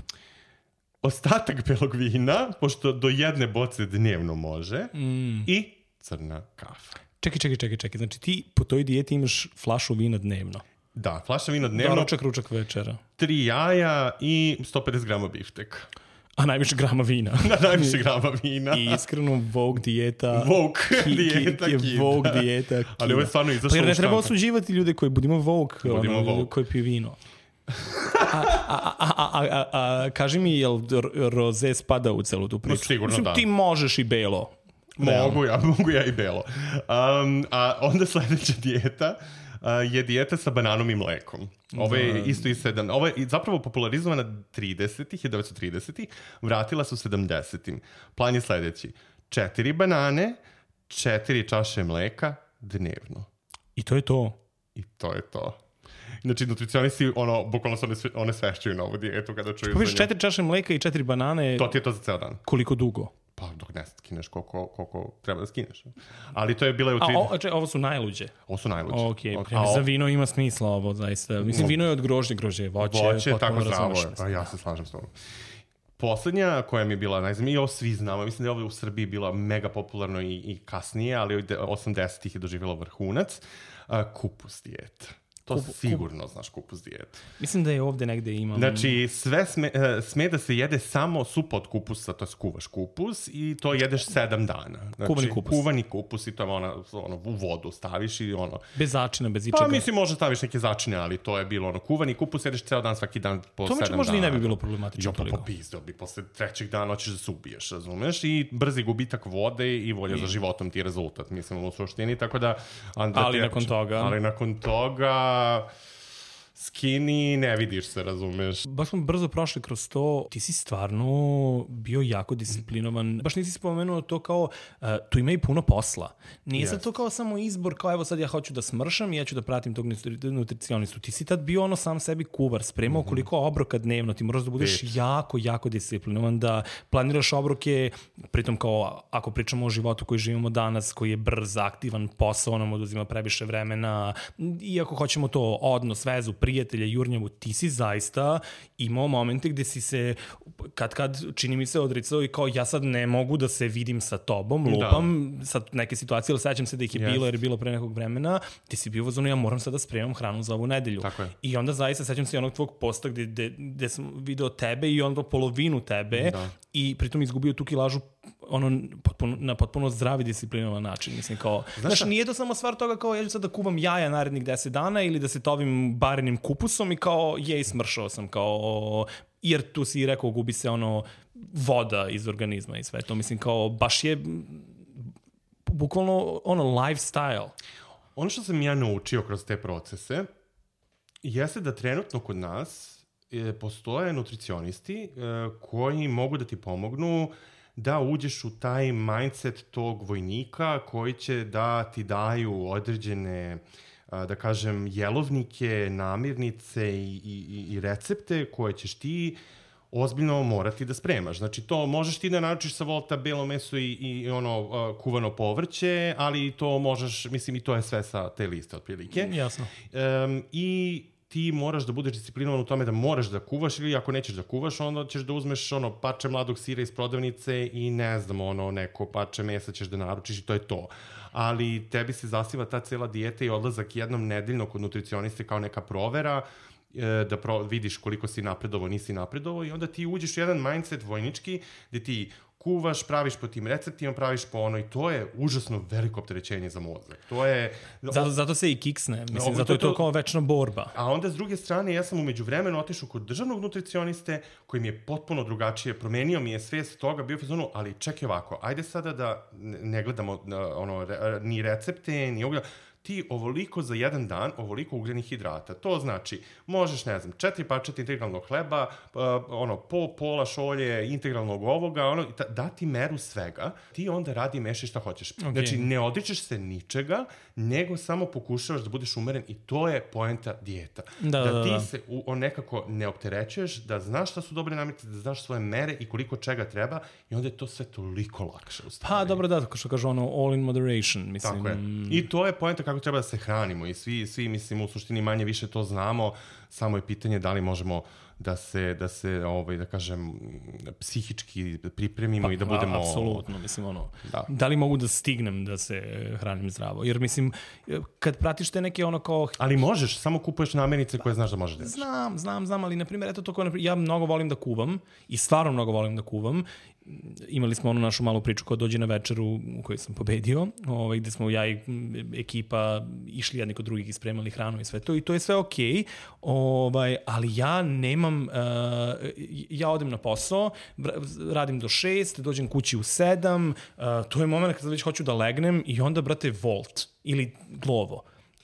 Ostatak belog vina, pošto do jedne boce dnevno može, mm. i crna kafa. Čekaj, čekaj, čekaj, čekaj. Znači ti po toj dijeti imaš flašu vina dnevno. Da, flaša vina dnevno. Doručak, ručak, večera. Tri jaja i sto pedeset grama bifteka. A najviše grama vina. Na najviše grama vina. I iskreno Vogue dijeta. Vogue ki, dijeta ki, ki, Vogue dijeta. Kida. Ali ovo je stvarno izašlo u štampu. Pa jer ne treba osuđivati ljude koji budimo Vogue, budimo ono, Vogue. koji piju vino. a, a, a, a, a, a, a kaži mi, jel roze spada u celu tu priču? No, sigurno Mislim, da. Ti možeš i belo. Mogu ja, mogu ja i belo. Um, a onda sledeća dijeta uh, je dijeta sa bananom i mlekom. Ovo je isto i sedam. Ovo je zapravo popularizovana tridesetih, hiljadu devetsto tridesetih, vratila su sedamdesetim. Plan je sledeći. Četiri banane, četiri čaše mleka dnevno. I to je to. I to je to. Znači, nutricionisti, ono, bukvalno se one, sve, one svešćuju na ovu dijetu kada čuju pa za nju. Četiri čaše mleka i četiri banane. To ti je to za ceo dan. Koliko dugo? Pa dok ne skineš koliko, koliko treba da skineš. Ali to je bila u tri... trideset... A o, če, ovo su najluđe? Ovo su najluđe. Ok, okay. A za vino ima smisla ovo, zaista. Mislim, no. Vino je od grožnje, grožnje je voće. Voće je tako zdravo. Pa ja se slažem s tobom. Poslednja koja mi je bila najzanimljivija, i ovo svi znamo, mislim da je ovo u Srbiji bila mega popularno i, i kasnije, ali osamdesetih je doživjela vrhunac, uh, kupus dijeta. To Kup, sigurno kup... znaš kupus dijetu. Mislim da je ovde negde imam... Znači, sve sme, sme da se jede samo supa od kupusa, to je skuvaš kupus i to jedeš sedam dana. Znači, kuvani kupus. Kuvani kupus i to je ono, ono, u vodu staviš i ono... Bez začina, bez ičega. Pa mislim, može staviš neke začine, ali to je bilo ono, kuvani kupus jedeš ceo dan, svaki dan po to sedam dana. To možda i ne bi bilo problematično. Jo, pa popizdeo bi, posle trećeg dana hoćeš da se ubiješ, razumeš? I brzi gubitak vode i volja I... za životom ti je rezultat, mislim, u suštini, tako da... Andra, ali nakon toga... Ali nakon toga... skinny, ne vidiš se, razumeš. Baš smo brzo prošli kroz to. Ti si stvarno bio jako disciplinovan. Baš nisi spomenuo to kao, uh, tu ima i puno posla. Nije yes. sad to kao samo izbor, kao evo sad ja hoću da smršam i ja ću da pratim tog nutricionistu. Ti si tad bio ono sam sebi kuvar, spremao mm-hmm. koliko obroka dnevno. Ti moraš da budeš Bit. jako, jako disciplinovan, da planiraš obroke, pritom kao ako pričamo o životu koji živimo danas, koji je brz, aktivan, posao nam oduzima previše vremena, iako hoćemo to odnos, vezu, prijatelja, jurnjavu, ti si zaista imao momente gde si se, kad kad čini mi se odricao i kao ja sad ne mogu da se vidim sa tobom, lupam, da. Sad neke situacije, ali sećam se da ih je yes. bilo jer je bilo pre nekog vremena, ti si bio vazonu, ja moram sad da spremam hranu za ovu nedelju. I onda zaista sećam se onog tvog posta gde, gde, gde sam video tebe i onda polovinu tebe da. I pritom izgubio tu kilažu ono, potpuno, na potpuno zdravi disciplinovan način. Mislim, kao, znaš, nije to samo stvar toga kao ja ću sad da kuvam jaja narednih deset dana ili da se tovim barenim kupusom i kao jej, smršao sam, kao, jer tu si rekao gubi se ono voda iz organizma i sve to. Mislim, kao, baš je bukvalno ono lifestyle. Ono što sam ja naučio kroz te procese jeste da trenutno kod nas e, postoje nutricionisti e, koji mogu da ti pomognu da uđeš u taj mindset tog vojnika koji će da ti daju određene, da kažem, jelovnike, namirnice i, i, i recepte koje ćeš ti ozbiljno morati da spremaš. Znači, to možeš ti da naručiš sa Volta belo meso i, i ono kuvano povrće, ali to možeš, mislim, i to je sve sa te liste, otprilike. Jasno. Um, I ti moraš da budeš disciplinovan u tome da moraš da kuvaš, ili ako nećeš da kuvaš, onda ćeš da uzmeš ono pače mladog sira iz prodavnice i ne znam, ono neko pače mesa ćeš da naručiš i to je to. Ali tebi se zasniva ta cela dijeta i odlazak jednom nedeljno kod nutricioniste kao neka provera, da pro, vidiš koliko si napredovao, nisi napredovao i onda ti uđeš u jedan mindset vojnički gde ti kuvaš, praviš po tim receptima, praviš po ono i to je užasno veliko opterećenje za mozak. To je... Zato, zato se i kiksne, mislim, zato je to kao večna borba. A onda s druge strane, ja sam umeđu vremenu otišao kod državnog nutricioniste koji mi je potpuno drugačije, promenio mi je svest toga, bio fazonu, ali čekaj ovako, ajde sada da ne gledamo ono, ni recepte, ni ogleda, ti ovoliko za jedan dan, ovoliko ugljenih hidrata. To znači, možeš, ne znam, četiri parčeta integralnog hleba, uh, ono, po pola šolje integralnog ovoga, ono, dati meru svega, ti onda radi i mešaj šta hoćeš. Okay. Znači, ne odričeš se ničega, nego samo pokušavaš da budeš umeren i to je poenta dijeta. Da, da, da ti da. se u, on nekako ne opterećuješ, da znaš šta su dobre namirnice, da znaš svoje mere i koliko čega treba i onda je to sve toliko lakše. Pa, dobro, da, što kaže ono, all in moderation, mislim. Tako je. I to je poenta kako treba da se hranimo i svi, svi mislim, u suštini manje više to znamo, samo je pitanje da li možemo da se, da se ovaj, da kažem, psihički pripremimo pa, i da budemo... Apsolutno, mislim, ono, da. da li mogu da stignem da se hranim zdravo? Jer, mislim, kad pratiš te neke ono kao... Ali možeš, samo kupuješ namirnice koje znaš da možeš da ješ. Znam, znam, znam, ali, na primjer, eto to koje, ja mnogo volim da kuvam i stvarno mnogo volim da kuvam. Imali smo onu našu malu priču koja dođe na večeru u kojoj sam pobedio, ovaj, gde smo ja i ekipa išli jedni kod drugih i spremali hranu i sve to i to je sve okej, okay, ovaj, ali ja nemam, uh, ja odem na posao, radim do šest, dođem kući u sedam, uh, to je moment kada već hoću da legnem i onda, brate, Volt ili Glovo.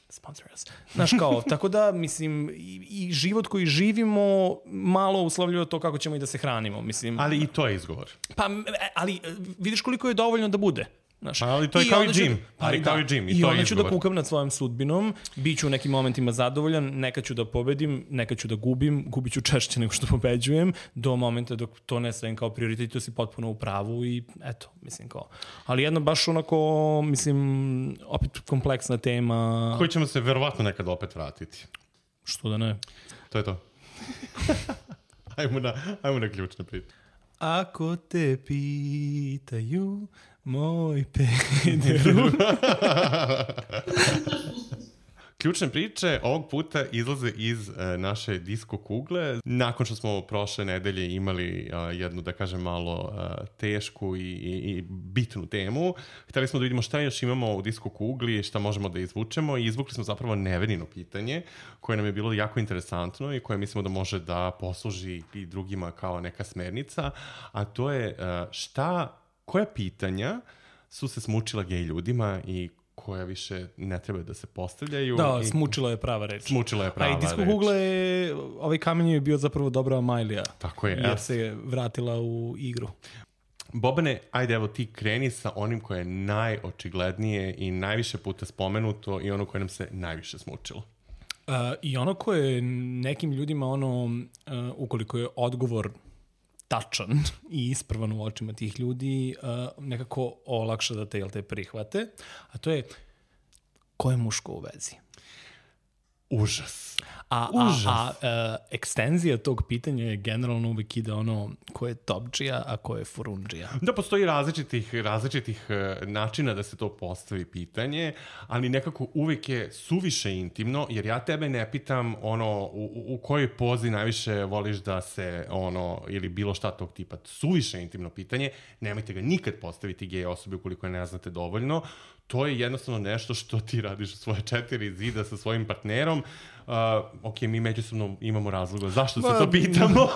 Sponsor us. Znaš kao, tako da, mislim, i, i život koji živimo malo uslovljuje to kako ćemo i da se hranimo, mislim. Ali i to je izgovor. Pa, ali vidiš koliko je dovoljno da bude. Znaš, pa, ali to je I kao i džim. Pa, ali kao i džim. I, I to onda je ću da kukam nad svojom sudbinom, bit ću u nekim momentima zadovoljan, nekad ću da pobedim, nekad ću da gubim, gubit ću češće nego što pobeđujem, do momenta dok to ne stavim kao prioritet, to si potpuno u pravu i eto, mislim kao. Ali jedno baš onako, mislim, opet kompleksna tema. Koji ćemo se verovatno nekad opet vratiti. Što da ne? To je to. ajmo, na, ajmo na ključne priče. Ako te pitaju, moj pederu. Ključne priče ovog puta izlaze iz uh, naše disko kugle. Nakon što smo prošle nedelje imali uh, jednu, da kažem, malo uh, tešku i, i, i bitnu temu, hteli smo da vidimo šta još imamo u disko kugli, šta možemo da izvučemo i izvukli smo zapravo Nevenino pitanje koje nam je bilo jako interesantno i koje mislimo da može da posluži i drugima kao neka smernica, a to je uh, šta, koja pitanja su se smučila gej ljudima i koja više ne treba da se postavljaju. Da, i... smučilo je prava reč. Smučilo je prava reč. A i disko kugle, ovaj kamen je bio zapravo dobra Amajlija. Tako je. Jer ja. se vratila u igru. Bobane, ajde evo ti kreni sa onim koje je najočiglednije i najviše puta spomenuto i ono koje nam se najviše smučilo. Uh, I ono koje nekim ljudima, ono, uh, ukoliko je odgovor tačan i ispravan u očima tih ljudi, uh, nekako olakša da te, jel te prihvate, a to je ko je muško u vezi? Užas. A, Užas. a, a uh, ekstenzija tog pitanja je generalno uvijek ide ono ko je topdžija, a ko je furundžija. Da, postoji različitih, različitih uh, načina da se to postavi pitanje, ali nekako uvijek je suviše intimno, jer ja tebe ne pitam ono u, u kojoj pozi najviše voliš da se ono, ili bilo šta tog tipa. Suviše intimno pitanje, nemojte ga nikad postaviti gej osobi ukoliko je ne znate dovoljno. To je jednostavno nešto što ti radiš u svoje četiri zida sa svojim partnerom Uh, ok, mi međusobno imamo razloga zašto se to pitamo.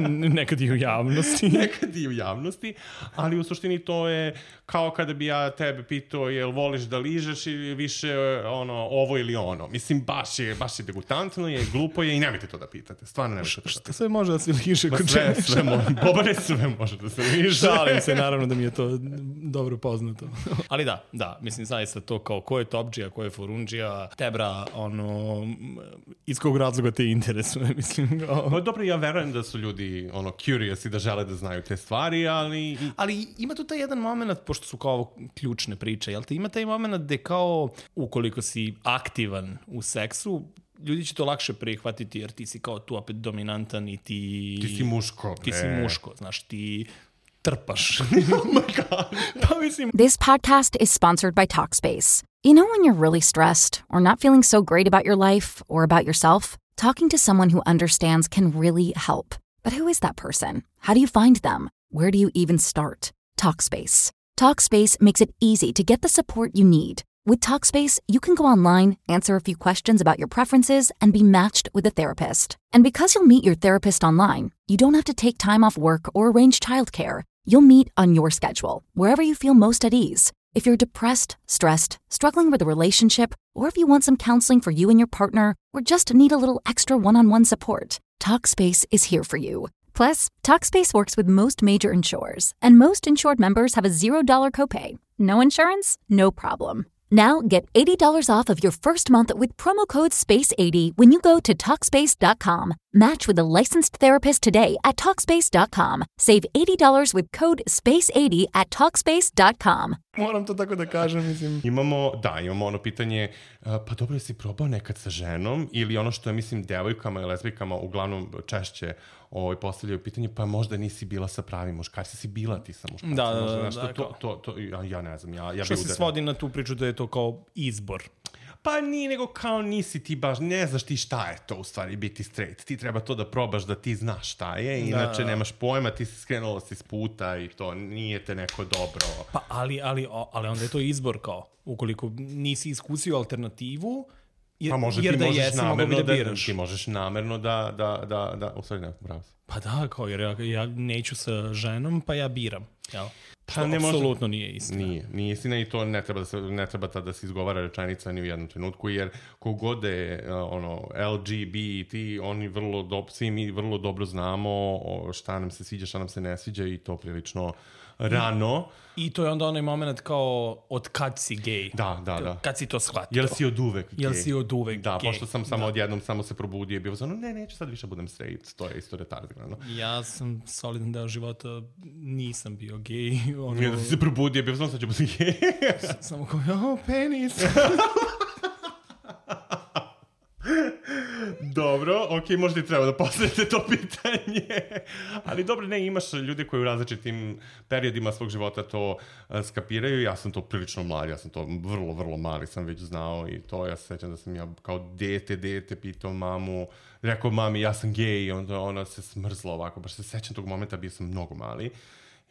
Nekad i u javnosti. Nekad i u javnosti, ali u suštini to je kao kada bi ja tebe pitao jel voliš da ližeš ili više ono, ovo ili ono. Mislim, baš je, baš je degutantno, je glupo je i nemojte to da pitate. Stvarno nemojte to da pitate. Šta sve može da se liže kod sve, čega? sve može. Bobane, sve može da se liže. Šalim se, naravno da mi je to dobro poznato. Ali da, da, mislim, zaista to kao ko je topdžija, ko je forundžija, tebra, ono, iz kog razloga te interesuje, mislim. Kao... No, dobro, ja verujem da su ljudi ono, curious i da žele da znaju te stvari, ali... Ali ima tu taj jedan moment, pošto su kao ovo ključne priče, jel te ima taj moment gde kao, ukoliko si aktivan u seksu, ljudi će to lakše prihvatiti jer ti si kao tu opet dominantan i ti... Ti si muško, bre. Ti si muško, znaš, ti trpaš. Oh my God. This podcast is sponsored by Talkspace. You know when you're really stressed or not feeling so great about your life or about yourself? Talking to someone who understands can really help. But who is that person? How do you find them? Where do you even start? Talkspace. Talkspace makes it easy to get the support you need. With Talkspace, you can go online, answer a few questions about your preferences, and be matched with a therapist. And because you'll meet your therapist online, you don't have to take time off work or arrange childcare. You'll meet on your schedule, wherever you feel most at ease. If you're depressed, stressed, struggling with a relationship, or if you want some counseling for you and your partner, or just need a little extra one-on-one support, Talkspace is here for you. Plus, Talkspace works with most major insurers, and most insured members have a zero dollar copay. No insurance? No problem. Now get eighty dollars off of your first month with promo code space eighty when you go to Talkspace dot com. Match with a licensed therapist today at Talkspace dot com. Save eighty dollars with code space eighty at Talkspace dot com. Moram to tako da kažem, mislim. Imamo, da, imamo ono pitanje, uh, pa dobro, si probao nekad sa ženom ili ono što je, mislim, devojkama i lezbijkama uglavnom češće ovaj, postavljaju pitanje, pa možda nisi bila sa pravim muškarcima, si bila ti sa muškarcima. Da, da, možda, da. Znaš, da to, to, to, ja, ja ne znam, ja, ja što bi se udario. svodi na tu priču da je to kao izbor. Pa nije, nego kao nisi ti baš, ne znaš ti šta je to u stvari biti straight. Ti treba to da probaš da ti znaš šta je, inače da. Nemaš pojma, ti si skrenula si s puta i to nije te neko dobro. Pa ali, ali, ali onda je to izbor kao, ukoliko nisi iskusio alternativu, jer, pa može, jer ti da možeš jesi mogo bi da biraš. Ti možeš namerno da, da, da, da, u stvari ne, bravo si. Pa da, kao jer ja, ja neću sa ženom, pa ja biram, jel? Pa ne apsolutno nije istina. Nije, nije istina i to ne treba da se, ne treba da se izgovara rečenica ni u jednom trenutku, jer kogod je uh, ono, L G B T, oni vrlo dobro, svi mi vrlo dobro znamo šta nam se sviđa, šta nam se ne sviđa i to prilično rano. I to je onda onaj moment kao od kad si gej. Da, da, da. Kad si to shvatio. Jel si od uvek gej? Jel si od uvek da, gej. pošto sam samo da. odjednom samo se probudio i bio ono, ne, neću sad više budem straight, to je isto retardirano. Ja sam solidan deo života, nisam bio gej. Ono... Ja da si se probudio i bio ono, sad ću budem gej. Samo kao, oh, penis. Dobro, ok, možda i treba da postavite to pitanje. Ali dobro, ne, imaš ljude koji u različitim periodima svog života to uh, skapiraju. Ja sam to prilično mlad, ja sam to vrlo, vrlo mali sam već znao i to ja se sećam da sam ja kao dete, dete pitao mamu, rekao mami ja sam gej i onda ona se smrzla ovako, baš se sećam tog momenta, bio sam mnogo mali.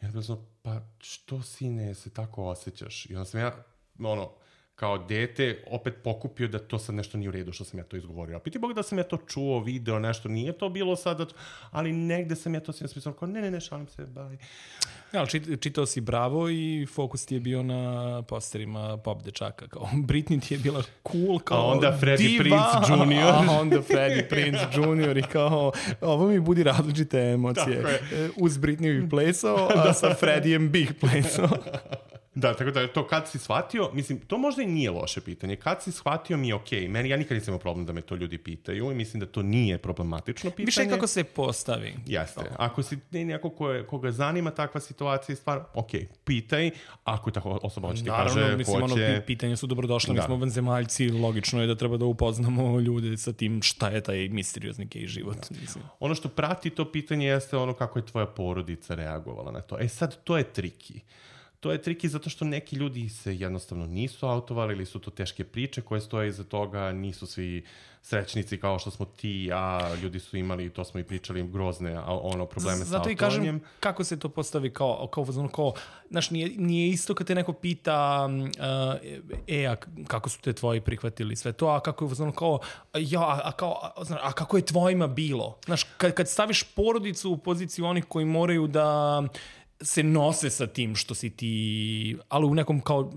I onda sam, pa što sine se tako osjećaš? I onda sam ja, ono, kao dete, opet pokupio da to sad nešto nije u redu što sam ja to izgovorio. A piti Bog da sam ja to čuo, video, nešto, nije to bilo sada, ali negde sam ja to sve spisao, kao ne, ne, ne, šalim se, baj. Ja, ali čit, čitao si Bravo i fokus ti je bio na posterima pop dečaka, kao Britney ti je bila cool, kao a onda Freddie diva, Prinze junior A onda Freddie Prinze junior i kao, ovo mi budi različite emocije. Uz Britney bih plesao, a sa Freddijem bih plesao. Da, tako da to kad si shvatio, mislim, to možda i nije loše pitanje. Kad si shvatio mi je okej. Okay. Meni, ja nikad nisam imao problem da me to ljudi pitaju i mislim da to nije problematično pitanje. Više kako se postavi. Jeste. Ako si neko ko je, koga zanima takva situacija i stvar, okej, okay, pitaj. Ako ta osoba hoće ti kaže, naravno, mislim, hoće... ono, pitanja su dobrodošle. Mi smo vanzemaljci, logično je da treba da upoznamo ljude sa tim šta je taj misteriozni gej život. Mislim. Ono što prati to pitanje jeste ono kako je tvoja porodica reagovala na to. E sad, to je triki. to je triki zato što neki ljudi se jednostavno nisu autovali ili su to teške priče koje stoje iza toga, nisu svi srećnici kao što smo ti i ja, ljudi su imali, to smo i pričali, grozne ono, probleme Z- sa autovanjem. Zato i kažem kako se to postavi kao, kao, kao, kao znaš, nije, nije isto kad te neko pita uh, e, a kako su te tvoji prihvatili sve to, a kako je ono kao, ja, a, a, kao, a, znaš, a kako je tvojima bilo? Znaš, kad, kad staviš porodicu u poziciju onih koji moraju da se nose sa tim što si ti, ali u nekom kao,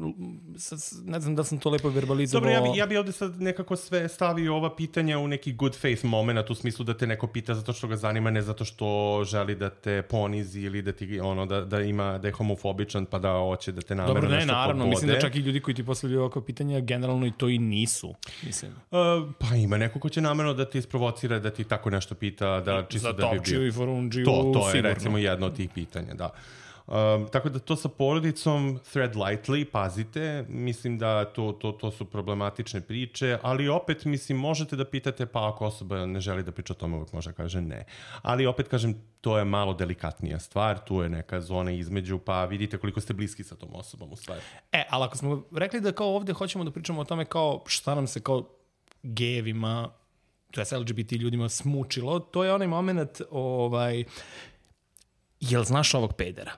ne znam da sam to lepo verbalizovao. Dobro, ja bi, ja bi ovde sad nekako sve stavio ova pitanja u neki good faith moment, u smislu da te neko pita zato što ga zanima, ne zato što želi da te ponizi ili da ti, ono, da, da ima, da je homofobičan pa da hoće da te namerno nešto nešto pobode. Dobro, ne, naravno, pobode. mislim da čak i ljudi koji ti postavljaju ovako pitanja, generalno i to i nisu, mislim. Uh, pa ima neko ko će namerno da ti isprovocira, da ti tako nešto pita, da čisto da bi bio. Za Topčiju i Forundžiju, to, to je sigurno. Recimo jedno od tih pitanja, da. Um, tako da to sa porodicom, thread lightly, pazite, mislim da to, to, to su problematične priče, ali opet, mislim, možete da pitate, pa ako osoba ne želi da priča o tome, uvijek može kaže ne. Ali opet, kažem, to je malo delikatnija stvar, tu je neka zona između, pa vidite koliko ste bliski sa tom osobom u stvari. E, ali ako smo rekli da kao ovde hoćemo da pričamo o tome kao šta nam se kao gejevima, to je L G B T ljudima smučilo, to je onaj moment, ovaj, jel znaš ovog pedera?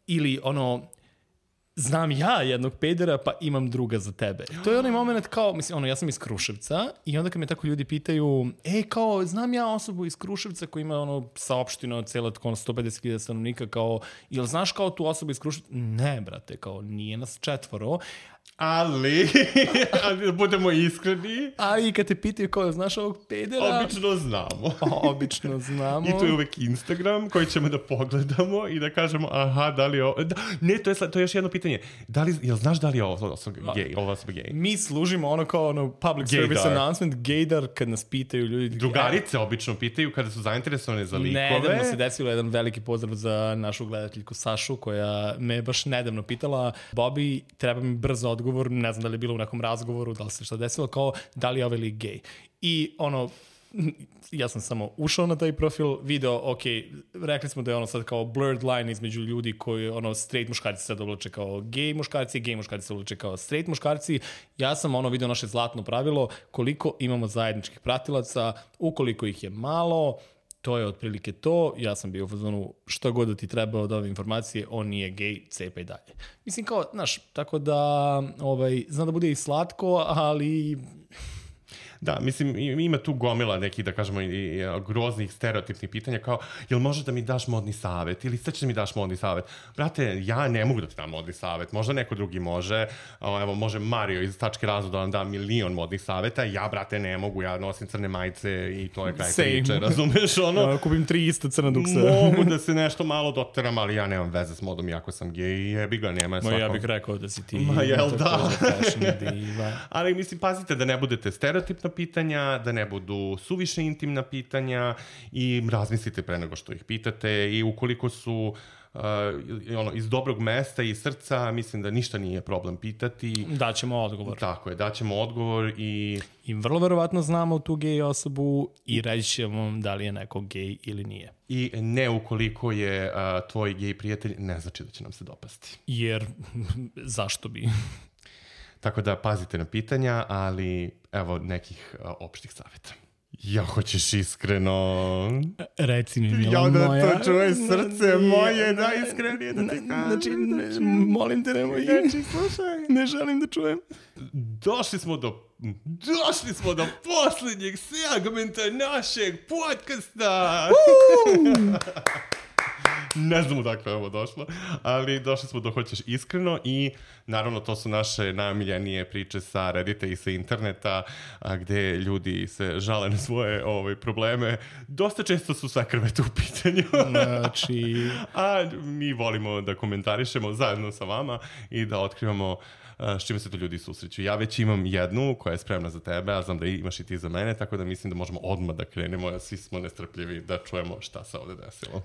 Ili ono, znam ja jednog pedera, pa imam druga za tebe. To je onaj moment kao, mislim, ono, ja sam iz Kruševca i onda kad me tako ljudi pitaju, ej, kao, znam ja osobu iz Kruševca koja ima ono saopštino cela tako sto pedeset hiljada stanovnika, kao, jel znaš kao tu osobu iz Kruševca? Ne, brate, kao, nije nas četvoro. Ali, ali budemo iskreni. Ali kad te pitaju kao, znaš ovog pedera? Obično znamo. Obično znamo. I to je uvek Instagram koji ćemo da pogledamo i da kažemo, aha, da li je ovo... Da, ne, to je, to je još jedno pitanje. Da li, jel znaš da li je ovo osoba gej? Ovo osoba gej? Mi služimo ono kao ono public Gaydar. service announcement, gaydar, kad nas pitaju ljudi. Drugarice obično pitaju kada su zainteresovane za likove. Nedavno se desilo jedan veliki pozdrav za našu gledateljku Sašu, koja me baš nedavno pitala, Bobby, treba mi brzo odgovor, ne znam da li je bilo u nekom razgovoru, da li se šta desilo, kao da li je ovaj lik gej. I ono, ja sam samo ušao na taj profil, video, ok, rekli smo da je ono sad kao blurred line između ljudi koji, ono, straight muškarci sad oblače kao gej muškarci, gej muškarci se oblače kao straight muškarci. Ja sam ono video naše zlatno pravilo, koliko imamo zajedničkih pratilaca, ukoliko ih je malo, to je otprilike to. Ja sam bio u fazonu, šta god da ti treba od ove informacije, on nije gej, cepaj dalje. Mislim kao, znaš, tako da, ovaj, znam da bude i slatko, ali... Da, mislim, ima tu gomila nekih, da kažemo, i, i groznih stereotipnih pitanja, kao, jel možeš da mi daš modni savet? Ili sad ćeš da mi daš modni savet? Brate, ja ne mogu da ti dam modni savet. Možda neko drugi može. O, evo, može Mario iz Tačke razloga da vam da milion modnih saveta. Ja, brate, ne mogu. Ja nosim crne majice i to je kraj priče, razumeš? Ono, ja, kupim tri ista crna duksa. Mogu da se nešto malo doteram, ali ja nemam veze s modom, iako sam gej i jebi ga, nema svakom. Ma ja bih rekao da si ti... Ma jel da? Diva. Ali mislim, pazite da ne budete stereotipna pitanja, da ne budu suviše intimna pitanja i razmislite pre nego što ih pitate i ukoliko su uh, ono, iz dobrog mesta i srca, mislim da ništa nije problem pitati. Daćemo odgovor. Tako je, daćemo odgovor i... I vrlo verovatno znamo tu gej osobu i reći ćemo vam da li je neko gej ili nije. I ne ukoliko je uh, tvoj gej prijatelj, ne znači da će nam se dopasti. Jer, zašto bi... Tako da pazite na pitanja, ali evo nekih uh, opštih savjeta. Ja hoćeš iskreno... Reci mi, mila ja da moja... Ja da to čuje srce moje, najiskrenije da ti kažem. Znači, molim te, nemoj... Znači, slušaj. Ne želim da čujem. Došli smo do... Došli smo do posljednjeg segmenta našeg podcasta! Ne znam odakle je ovo došlo, ali došli smo do hoćeš iskreno i naravno to su naše najomiljenije priče sa Reddita i sa interneta a, gde ljudi se žale na svoje ove, probleme. Dosta često su sakrvete u pitanju. Znači... A mi volimo da komentarišemo zajedno sa vama i da otkrivamo s čime se to ljudi susreću. Ja već imam jednu koja je spremna za tebe, a znam da imaš i ti za mene, tako da mislim da možemo odmah da krenemo, svi smo nestrpljivi da čujemo šta se ovde desilo.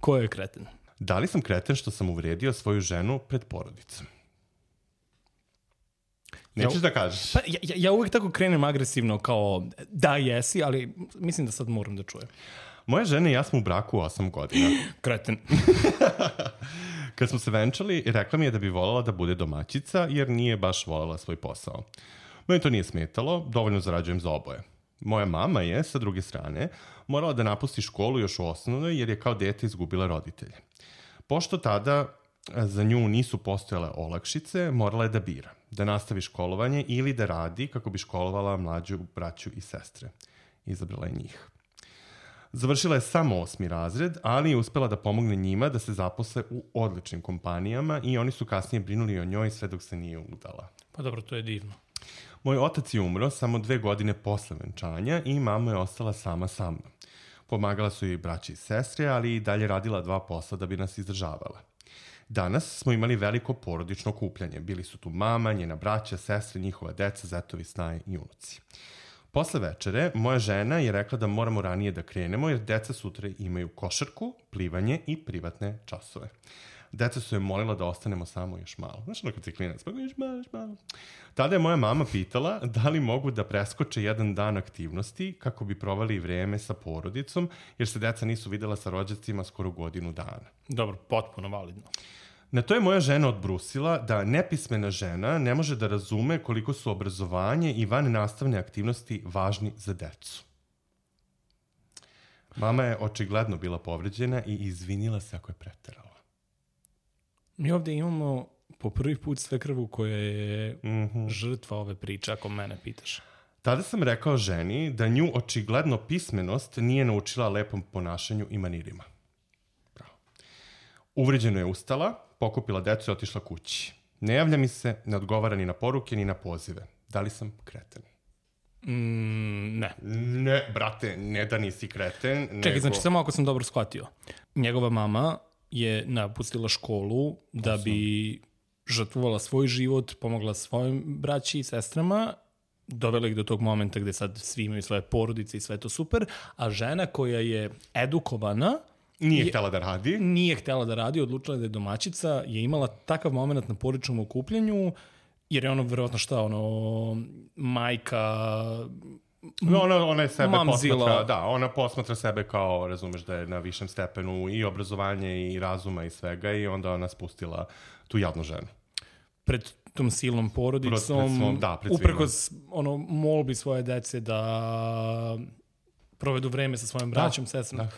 Ko je kreten? Da li sam kreten što sam uvredio svoju ženu pred porodicom? Nećeš ja, da kažeš? Pa, ja, ja uvijek tako krenem agresivno kao da jesi, ali mislim da sad moram da čujem. Moja žena i ja smo u braku osam godina. Kreten. Kad smo se venčali, rekla mi je da bi voljela da bude domaćica, jer nije baš voljela svoj posao. Meni to nije smetalo, dovoljno zarađujem za oboje. Moja mama je, sa druge strane, morala da napusti školu još u osnovnoj, jer je kao dete izgubila roditelje. Pošto tada za nju nisu postojale olakšice, morala je da bira, da nastavi školovanje ili da radi kako bi školovala mlađu braću i sestre. Izabrala je njih. Završila je samo osmi razred, ali je uspela da pomogne njima da se zaposle u odličnim kompanijama i oni su kasnije brinuli o njoj sve dok se nije udala. Pa dobro, to je divno. Moj otac je umro samo dve godine posle venčanja i mama je ostala sama sa mnom. Pomagala su joj braći i sestre, ali i dalje radila dva posla da bi nas izdržavala. Danas smo imali veliko porodično okupljanje. Bili su tu mama, njena braća, sestre, njihova deca, zetovi, snaje i unuci. Posle večere, moja žena je rekla da moramo ranije da krenemo, jer deca sutra imaju košarku, plivanje i privatne časove. Deca su je molila da ostanemo samo još malo. Znaš ono kad si klinac, pa još malo, još malo. Tada je moja mama pitala da li mogu da preskoče jedan dan aktivnosti kako bi provali vreme sa porodicom, jer se deca nisu videla sa rođacima skoro godinu dana. Dobro, potpuno validno. Na to je moja žena odbrusila da nepismena žena ne može da razume koliko su obrazovanje i van nastavne aktivnosti važni za decu. Mama je očigledno bila povređena i izvinila se ako je preterala. Mi ovde imamo po prvi put svekrvu koja je Mm-hmm. žrtva ove priče, ako mene pitaš. Tada sam rekao ženi da nju očigledno pismenost nije naučila lepom ponašanju i manirima. Bravo. Uvređeno je ustala, pokupila decu i otišla kući. Ne javlja mi se, ne odgovara ni na poruke, ni na pozive. Da li sam kreten? Mm, ne. Ne, brate, ne da nisi kreten, nego... Čekaj, znači samo ako sam dobro shvatio. Njegova mama je napustila školu da bi žrtvovala svoj život, pomogla svojim braći i sestrama, dovela ih do tog momenta gde sad svi imaju svoje porodice i sve to super, a žena koja je edukovana Nije je, htela da radi. Nije htela da radi, odlučila da je domaćica, je imala takav moment na porodičnom okupljanju, jer je ono verovatno šta, ono, majka... No, ona, ona je sebe Mamzila. posmatra, da, ona posmatra sebe kao, razumeš, da je na višem stepenu i obrazovanje i razuma i svega i onda ona spustila tu jadnu ženu. Pred tom silnom porodicom, Pred svom, da, pred uprkos ono, molbi svoje dece da provedu vreme sa svojim braćom, da, sestrom. Da.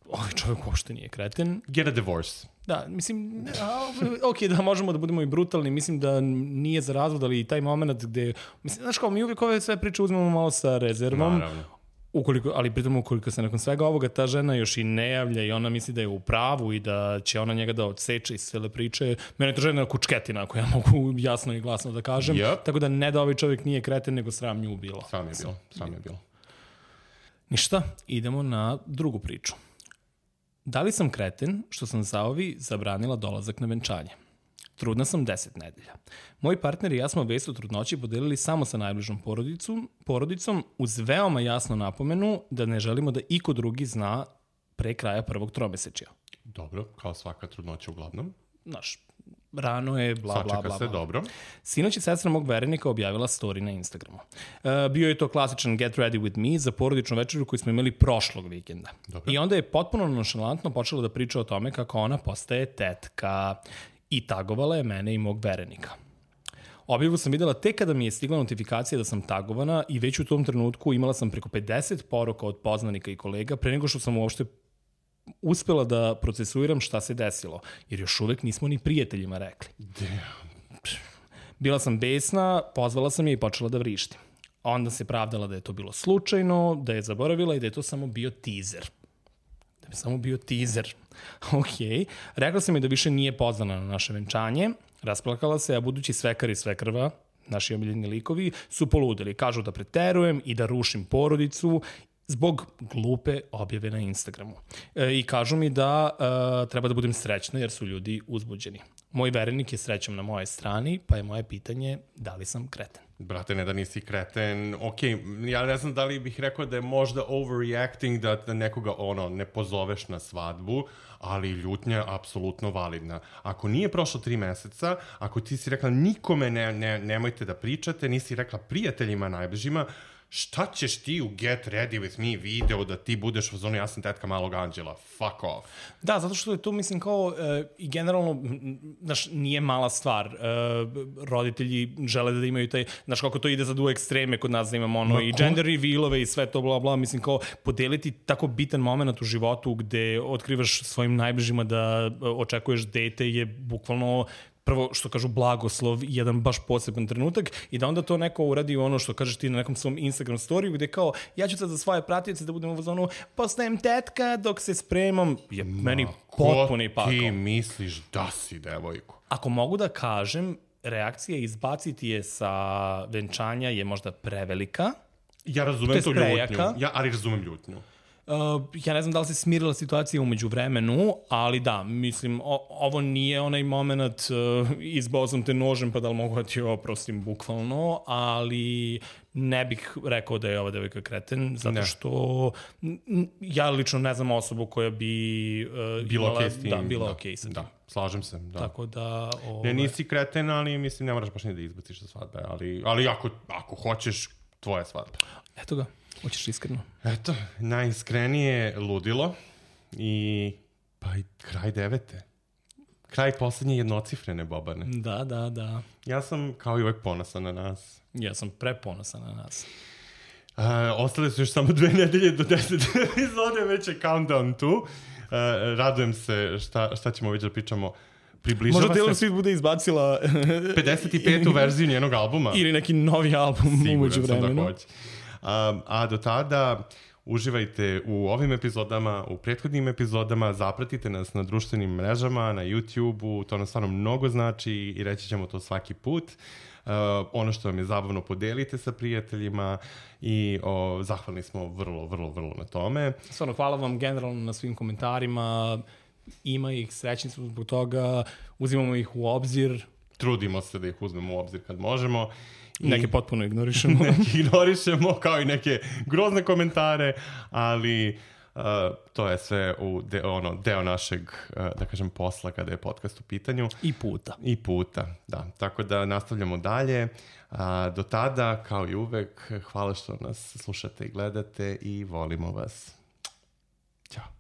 Ovaj čovjek uopšte nije kreten. Get a divorce. Da, mislim, a, ok, da možemo da budemo i brutalni, mislim da nije za razvod, ali i taj moment gde, mislim, znaš kao, mi uvijek ove sve priče uzmemo malo sa rezervom, Naravno. ukoliko, ali pritom ukoliko se nakon svega ovoga ta žena još i ne javlja i ona misli da je u pravu i da će ona njega da odseče iz cele priče, mene je to žena kučketina, ako ja mogu jasno i glasno da kažem, Yep. tako da ne da ovaj čovjek nije kreten, nego sram nju bilo. Sram je bilo, sram je bilo. Ništa, idemo na drugu priču. Da li sam kreten što sam zaovi zabranila dolazak na venčanje? Trudna sam deset nedelja. Moj partner i ja smo vest o trudnoći podelili samo sa najbližom porodicom, porodicom uz veoma jasnu napomenu da ne želimo da iko drugi zna pre kraja prvog tromesečja. Dobro, kao svaka trudnoća uglavnom. Znaš, rano je, bla, bla, bla, Sačeka bla. se, dobro. Sinoć je sestra mog verenika objavila story na Instagramu. E, bio je to klasičan get ready with me za porodičnu večeru koju smo imali prošlog vikenda. Dobro. I onda je potpuno nonšalantno počela da priča o tome kako ona postaje tetka i tagovala je mene i mog verenika. Objavu sam videla tek kada mi je stigla notifikacija da sam tagovana i već u tom trenutku imala sam preko pedeset poruka od poznanika i kolega pre nego što sam uopšte uspela da procesuiram šta se desilo, jer još uvek nismo ni prijateljima rekli. Damn. Bila sam besna, pozvala sam je i počela da vrištim. Onda se pravdala da je to bilo slučajno, da je zaboravila i da je to samo bio teaser. Da je samo bio teaser. Ok. Rekla sam je da više nije pozvana na naše venčanje, rasplakala se, a budući svekar i svekrva, naši omiljeni likovi, su poludeli. Kažu da preterujem i da rušim porodicu zbog glupe objave na Instagramu. E, I kažu mi da e, treba da budem srećna jer su ljudi uzbuđeni. Moj verenik je srećom na moje strani, pa je moje pitanje da li sam kreten. Brate, ne da nisi kreten. Ok, ja ne znam da li bih rekao da je možda overreacting, da, da nekoga ono, ne pozoveš na svadbu, ali ljutnja je apsolutno validna. Ako nije prošlo tri meseca, ako ti si rekla nikome ne, ne, nemojte da pričate, nisi rekla prijateljima najbližima, šta ćeš ti u Get Ready With Me video da ti budeš u zonu ja sam tetka malog anđela, fuck off. Da, zato što je to, mislim, kao e, i generalno, znaš, nije mala stvar. E, roditelji žele da imaju taj, znaš, kako to ide sad u ekstreme kod nas da imamo ono, Ma, i gender revealove i sve to, bla, bla, mislim, kao podeliti tako bitan moment u životu gde otkrivaš svojim najbližima da očekuješ dete je bukvalno prvo, što kažu, blagoslov, jedan baš poseban trenutak i da onda to neko uradi ono što kažeš ti na nekom svom Instagram storiju gde kao, ja ću sad za svoje pratioce da budem u zonu, postajem tetka dok se spremam, je Ma, meni potpuni pakao. Ko ti misliš da si devojko? Ako mogu da kažem, reakcija izbaciti je sa venčanja je možda prevelika. Ja razumem to ljutnju, ja, ali razumem ljutnju. Uh, ja ne znam da li se smirila situacija umeđu vremenu, ali da, mislim, o, ovo nije onaj moment uh, izbao sam te nožem pa da li mogu da ti oprostim bukvalno, ali ne bih rekao da je ova devojka kreten, zato ne. što n, ja lično ne znam osobu koja bi uh, bilo imala, okay s tim, da, bilo da, okej okay sa tim. Da, slažem se, da. Tako da... Ove... Ne, nisi kreten, ali mislim ne moraš baš ni da izbaciš sa svadbe, ali, ali ako, ako hoćeš, tvoja svadba. Eto ga. Hoćeš iskreno? Eto, najiskrenije ludilo i pa i kraj devete. Kraj poslednje jednocifrene, Bobane. Da, da, da. Ja sam kao i uvek ponosan na nas. Ja sam preponosan na nas. Uh, ostale su još samo dve nedelje do deset epizode, već je countdown tu. Uh, radujem se šta, šta ćemo već da pričamo. Približava možda Taylor Swift bude izbacila pedeset petu verziju njenog albuma. Ili neki novi album umeđu vremenu. Da hoće. A, a do tada uživajte u ovim epizodama, u prethodnim epizodama, zapratite nas na društvenim mrežama, na YouTube-u, to nam stvarno mnogo znači i reći ćemo to svaki put. Uh, ono što vam je zabavno podelite sa prijateljima i o, zahvalni smo vrlo, vrlo, vrlo na tome. Stvarno, hvala vam generalno na svim komentarima, ima ih, srećni smo zbog toga, uzimamo ih u obzir. Trudimo se da ih uzmemo u obzir kad možemo. I neke potpuno ignorišemo. Neke ignorišemo, kao i neke grozne komentare, ali uh, to je sve u de, ono, deo našeg, uh, da kažem, posla kada je podcast u pitanju. I puta. I puta, da. Tako da nastavljamo dalje. Uh, do tada, kao i uvek, hvala što nas slušate i gledate i volimo vas. Ćao.